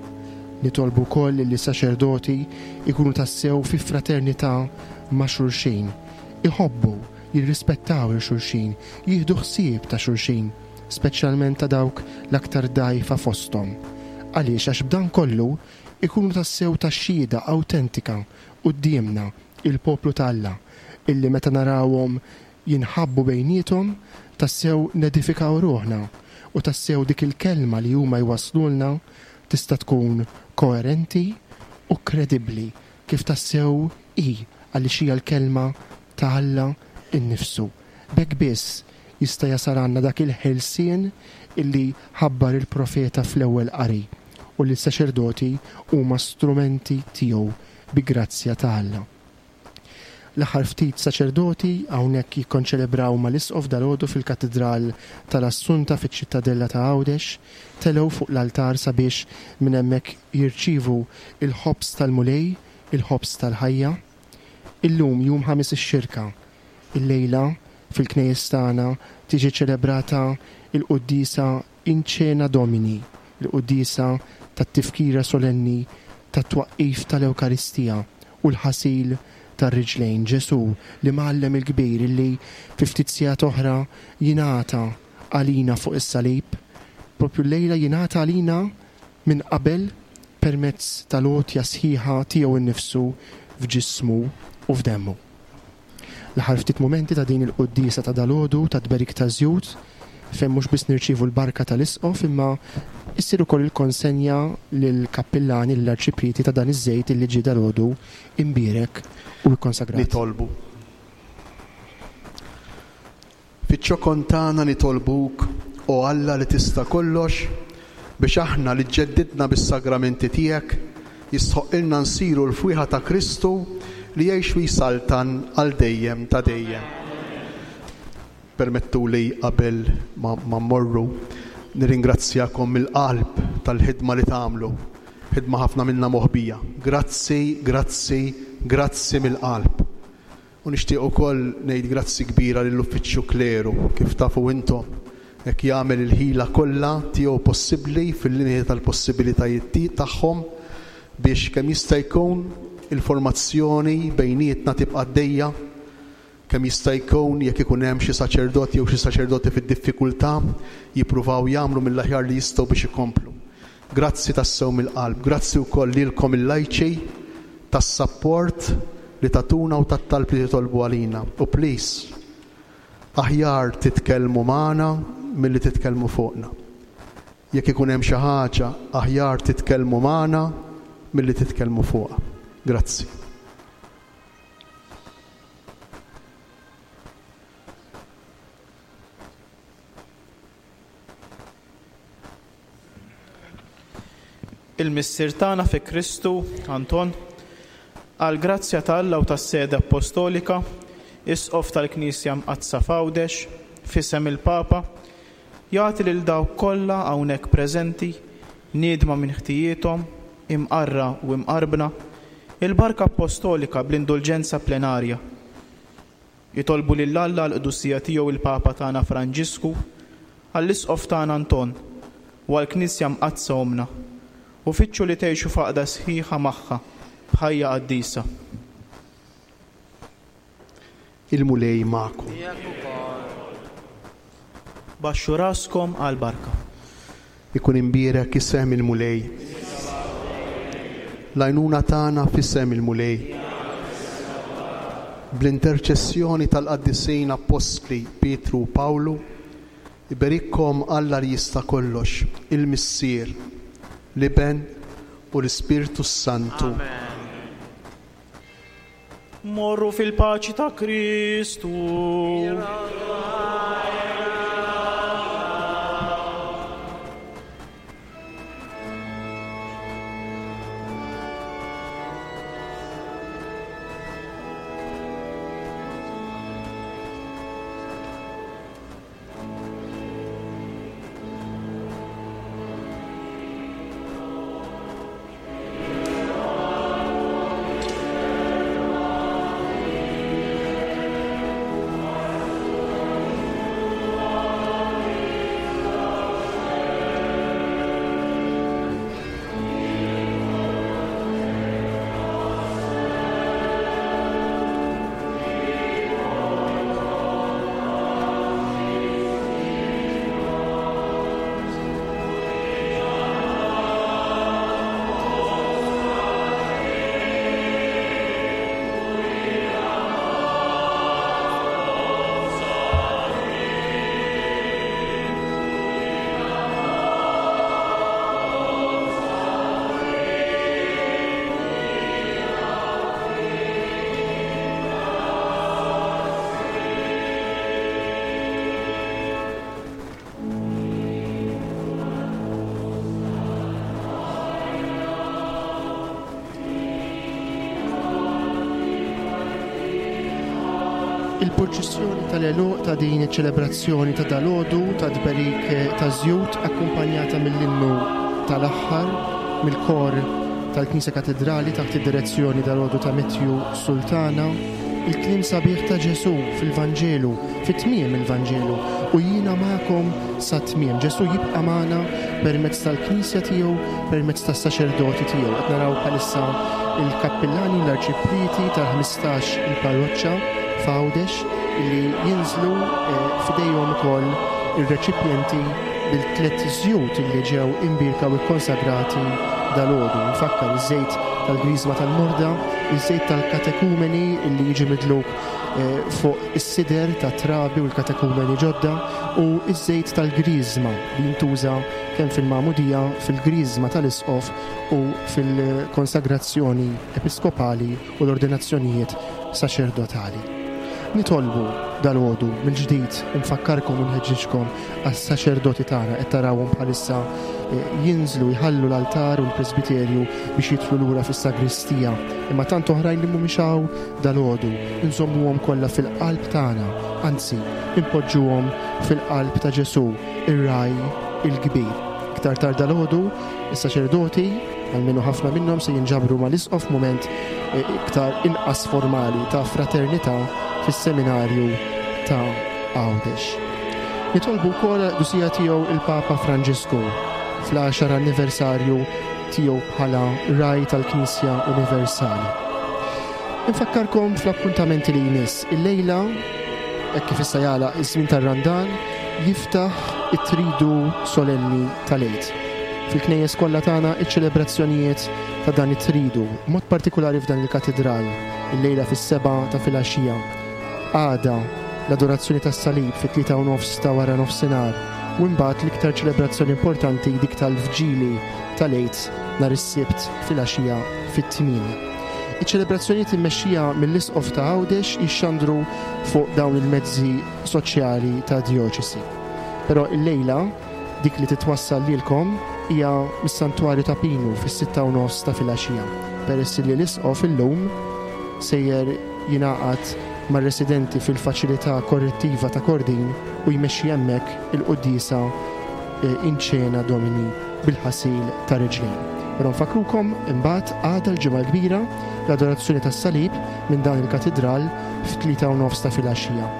[SPEAKER 3] Nitolbu wkoll li s-saċerdoti jkunu tassew fi fraternità ma' xulxin, iħobbu, jirrispettaw 'il xulxin, jieħdu ħsieb ta' xulxin, speċjalment ta' dawk l-aktar dgħajfa fosthom. Għaliex? Għax b'dan kollu ikunu tassew ta' xhieda awtentika quddiemna, il-poplu ta' Alla, illi meta narawhom jinħabbu bejniethom, tassew nedifikaw ruħna u tassew dik il-kelma li huma jwasslulna tista' tkun koerenti u kredibbli kif tassew hi għaliex hija l-kelma ta' Alla nnifsu. B'hekk biss jista' jasal għandna dak il-ħelsien illi ħabbar il-profeta fl-ewwel qari u li s-saċerdoti huma strumenti tiegħu bi grazzja ta' Alla. L-aħħar ftit saċerdoti hawnhekk jikkonċelebraw mal-Isqof dalgħodu fil-Katidral tal-Assunta fiċ-Ċittadella ta' Għawdex, telgħu fuq l-altar sabiex minn hemmhekk jirċievu l-Ħobż tal-Mulej, il-Ħobż tal-Ħajja. Illum, jum Ħamis ix-Xirka, illejla fil-knejjes tagħna tiġi ċelebrata l-quddiesa In Cena Domini, il-quddiesa tat-tifkira solenni tat-twaqqif tal-Ewkaristija u l-ħasil tar-riġlejn. Ġesù, l-Imgħallem il-kbir illi fi ftit sigħat oħra jingħata għalina fuq is-salib, proprju llejla jingħata għalina minn qabel permezz tal-għotja sħiħa tiegħu nnifsu f'ġismu u f'demmu. L-aħħar ftit mumenti ta' din il-quddiesa ta' dalgħodu tat-tberik taż-żjut, fejn mhux biss nirċievu l-barka tal-Isqof imma issir ukoll il-konsenja lill-kappillani, lill-arċiprieti ta' dan iż-żejt illi ġie dalgħodu imbierek u ikkonsagrat.
[SPEAKER 4] Nitolbu. Fiċ-ċokon tagħna nitolbuk, o Alla li tista' kollox, biex aħna li ġġeddidna bis-sagramenti tiegħek, jistħoqqilna nsiru l-fwieħa ta' Kristu li jgħix u jsaltan għal dejjem ta' dejjem. Permettuli qabel ma mmorru nirringrazzjakom mill-qalb tal-ħidma li tagħmlu, ħidma ħafna minnha moħbija. Grazzi, grazzi, grazzi mill-qalb. U nixtieq ukoll ngħid grazzi kbira lill-Uffiċċju Kleru, kif tafu intom, hekk jagħmel il-ħila kollha tiegħu possibbli fil-limiti tal-possibilitajiet tagħhom biex kemm jista' jkun il-formazzjoni bejnietna tibqa' għaddejja, kemm jista' jkun jekk ikun hemm xi saċerdot jew xi saċerdoti fid-diffikultà jippruvaw jagħmlu mill-aħjar li jistgħu biex ikomplu. Grazzi tassew mill-qalb. Grazzi wkoll lilkom il-lajċi tas-sapport li tagħtuna u tat-talb li titolbu għalina. U please, aħjar titkellmu magħna milli titkellmu fuqna. Jekk ikun hemm xi ħaġa, aħjar titkellmu magħna milli titkellmu fuqha. Grazzi.
[SPEAKER 8] Il-Missier tagħna fi Kristu, Anton, għall-grazzja ta' Alla u tas-Sede Appostolika, Isqof tal-Knisja Mqaddsa f'Għawdex, f'isem il-Papa, jagħti lil dawk kollha hawnhekk preżenti, niedma minn ħtijiethom, imqarra u imqarbna, il-barka appostolika bl-indulġenza plenarja. Nitolbu lil Alla għall-Qdusija Tiegħu il-Papa tagħna Franġisku, għall-Isqof tagħna Anton, u għall-Knisja Mqaddsa Ommna, u fittxu li tgħixu f'għaqda sħiħa magħha b'ħajja qaddisa.
[SPEAKER 4] Il-Mulej magħkom.
[SPEAKER 6] Miegħek ukoll.
[SPEAKER 8] Baxxu raskom għall-barka.
[SPEAKER 4] Ikun imbierek isem il-Mulej. L-għajnuna tagħna f'isem il-Mulej. Bl-interċessjoni tal-qaddisin appostli Pietru u Pawlu, iberikkom Alla li jista' kollox, il-Missier, l-Iben u l-Ispirtu s-Santu.
[SPEAKER 8] Morru fil-paċi ta' Kristu.
[SPEAKER 3] Il-purċissjoni tal-għeluq ta' din iċ-ċelebrazzjoni ta' dalgħodu ta' tberik taż-żjut akkumpanjata mill-innu tal-aħħar mill-kor tal-Knisja Katedrali taħt id-direzzjoni dalgħodu ta' Matthew Sultana, il-kliem sabiħ ta' Ġesù fil-Vanġelu, fi tmiem il-Vanġelu, u jiena magħkom sat-tmiem. Ġesù jibqa' magħna permezz tal-Knisja tiegħu, permezz tas-saċerdoti tiegħu. Qed naraw bħalissa il-kappillani, l-arċiprieti tal-15 il-parroċċa f'Għawdex li jinżlu eh, f'idejhom ukoll ir-reċipjenti bil-tlet żjut li ġew imbierka u kkonsagrati dalgħodu. Nfakkar iż-żejt tal-Griżma tal-Morda, iż-żejt tal-katekumeni li jiġi midluk eh, fuq is-sider tat-trabi u l-katekumeni ġodda u ż-żejt tal-Griżma li jintuża kemm fil-magħmudija, fil-Griżma tal-Isqof u fil-konsagrazzjoni episkopali u l-ordinazzjonijiet saċerdotali. Nitolbu dalgħodu mill-ġdid infakkarkom u nħeġġiġkom għas-saċerdoti tagħna qed tarawhom bħalissa eh, jinżlu jħallu l-altar u l-presbiterju biex jidħlu lura fis-sagristija. Imma tant oħrajn li mhumiex hawn dalgħodu, inżommuhom kollha fil-qalb tagħna, anzi, inpoġġuhom fil-qalb ta' Ġesù, ir-ragħaj il-kbir. Iktar tard dalgħodu, is-saċerdoti, almenu ħafna minnhom se jinġabru mal-Isqof f'mument eh, iktar inqas formali ta' fraternità fis-seminarju ta' Għawdex. Nitolbu wkoll għall-qdusija tiegħu il-Papa Franġisku fl-għaxar anniversarju tiegħu bħala Ragħaj tal-Knisja Universali. Infakkarkom fl-appuntamenti li jmiss. Illejla, hekk kif issa jagħlaq iż-żmien tar-Randan, jiftaħ it-Tridu Solenni tal-Għid. Fil-knejjes kollha tagħna iċ-ċelebrazzjonijiet ta' dan it-Tridu, b'mod partikulari f'dan il-Katidral, illejla fis-sebgħa ta' filgħaxija. Għada, l-Adorazzjoni tas-Salib fit-tlieta u nofs ta' wara nofsinhar, u imbagħad l-iktar ċelebrazzjoni importanti dik tal-Vġili tal-Għid nhar is-Sibt filgħaxija fit-tmienja. Iċ-ċelebrazzjonijiet immexxija mill-Isqof ta' Għawdex jixxandru fuq dawn il-mezzi soċjali tad-djoċesi. Però illejla, dik li titwassal lilkom hija mis-Santwarju ta' Pinu fis-sitta u nofs ta' filgħaxija, peress li l-Isqof illum sejjer jingħaqad mar-residenti fil-Faċilità Korrettiva ta' Kordin u jmexxi hemmhekk il-quddiesa in Cena Domini bil-ħasil ta' riġlejn. Però nfakkrukom imbagħad għada l-Ġimgħa l-Kbira l-Adorazzjoni tas-Salib minn dan il-Katidral fit-tlieta u nofs ta' filgħaxija.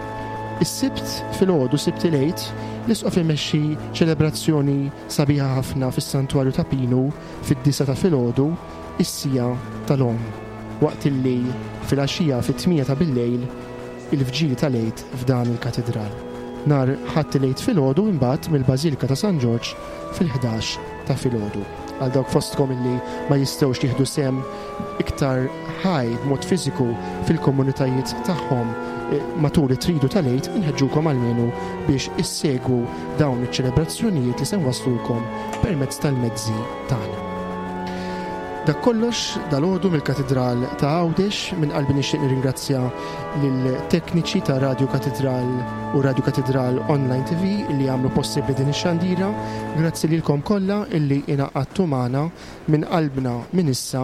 [SPEAKER 3] Is-Sibt filgħodu, Sibt il-Għid, l-Isqof imexxi ċelebrazzjoni sabiħa ħafna fis-Santwarju ta' Pinu fid-disgħa ta' filgħodu, is-siegħa tal-Omm, waqt illi filgħaxija fit-tmienja ta' billejl il-Vġili tal-Għid f'dan il-Katidral. Nhar Ħadd il-Għid filgħodu imbagħad mill-Bażilika ta' San Ġorġ fil-11 ta' filgħodu. Għal dawk fostkom illi ma jistgħux jieħdu sehem iktar ħaj b'mod fiżiku fil-komunitajiet tagħhom eh, matul it-tridu tal-Għid, inħeġġukom almenu biex issegwu dawn iċ-ċelebrazzjonijiet li se nwasslulkom permezz tal-mezzi tagħna. Dak kollox dalgħodu mill-Katidral ta' Għawdex, minn qalbi nixtieq nirringrazzja lill-tekniċi ta' Radju Katidral u Radju Katidral Online TV li għamlu possibbli din ix-xandira. Grazzi lilkom kollha illi ingħaqadtu magħna minn qalbna minn issa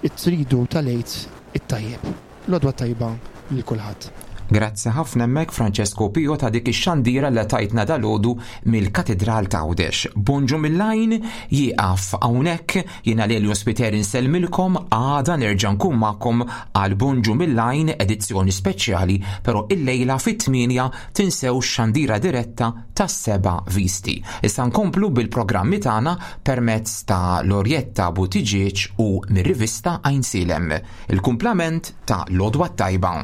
[SPEAKER 3] it-tridu tal-Għid it-tajjeb. L-għodwa t-tajba lil kulħadd.
[SPEAKER 2] Grazzi ħafna hemmhekk Francesco Pio ta' dik ix-xandira li tajtna dalgħodu mill-Katidral ta' Għawdex. Bonġu mill-għajn jieqaf hawnhekk jiena Lelio Spiteri nsellmilkom għada nerġa' nkun magħkom għal Bonġu mill-għajn edizzjoni speċjali però illejla fit-8 tinsewx xandira diretta tas-seba' visti. Issa nkomplu bil-programmi tagħna permezz ta' Lorjetta Buttigieg u mir-rivista Għajnsielem. Il-kumplament ta' l-għodwa t-tajba.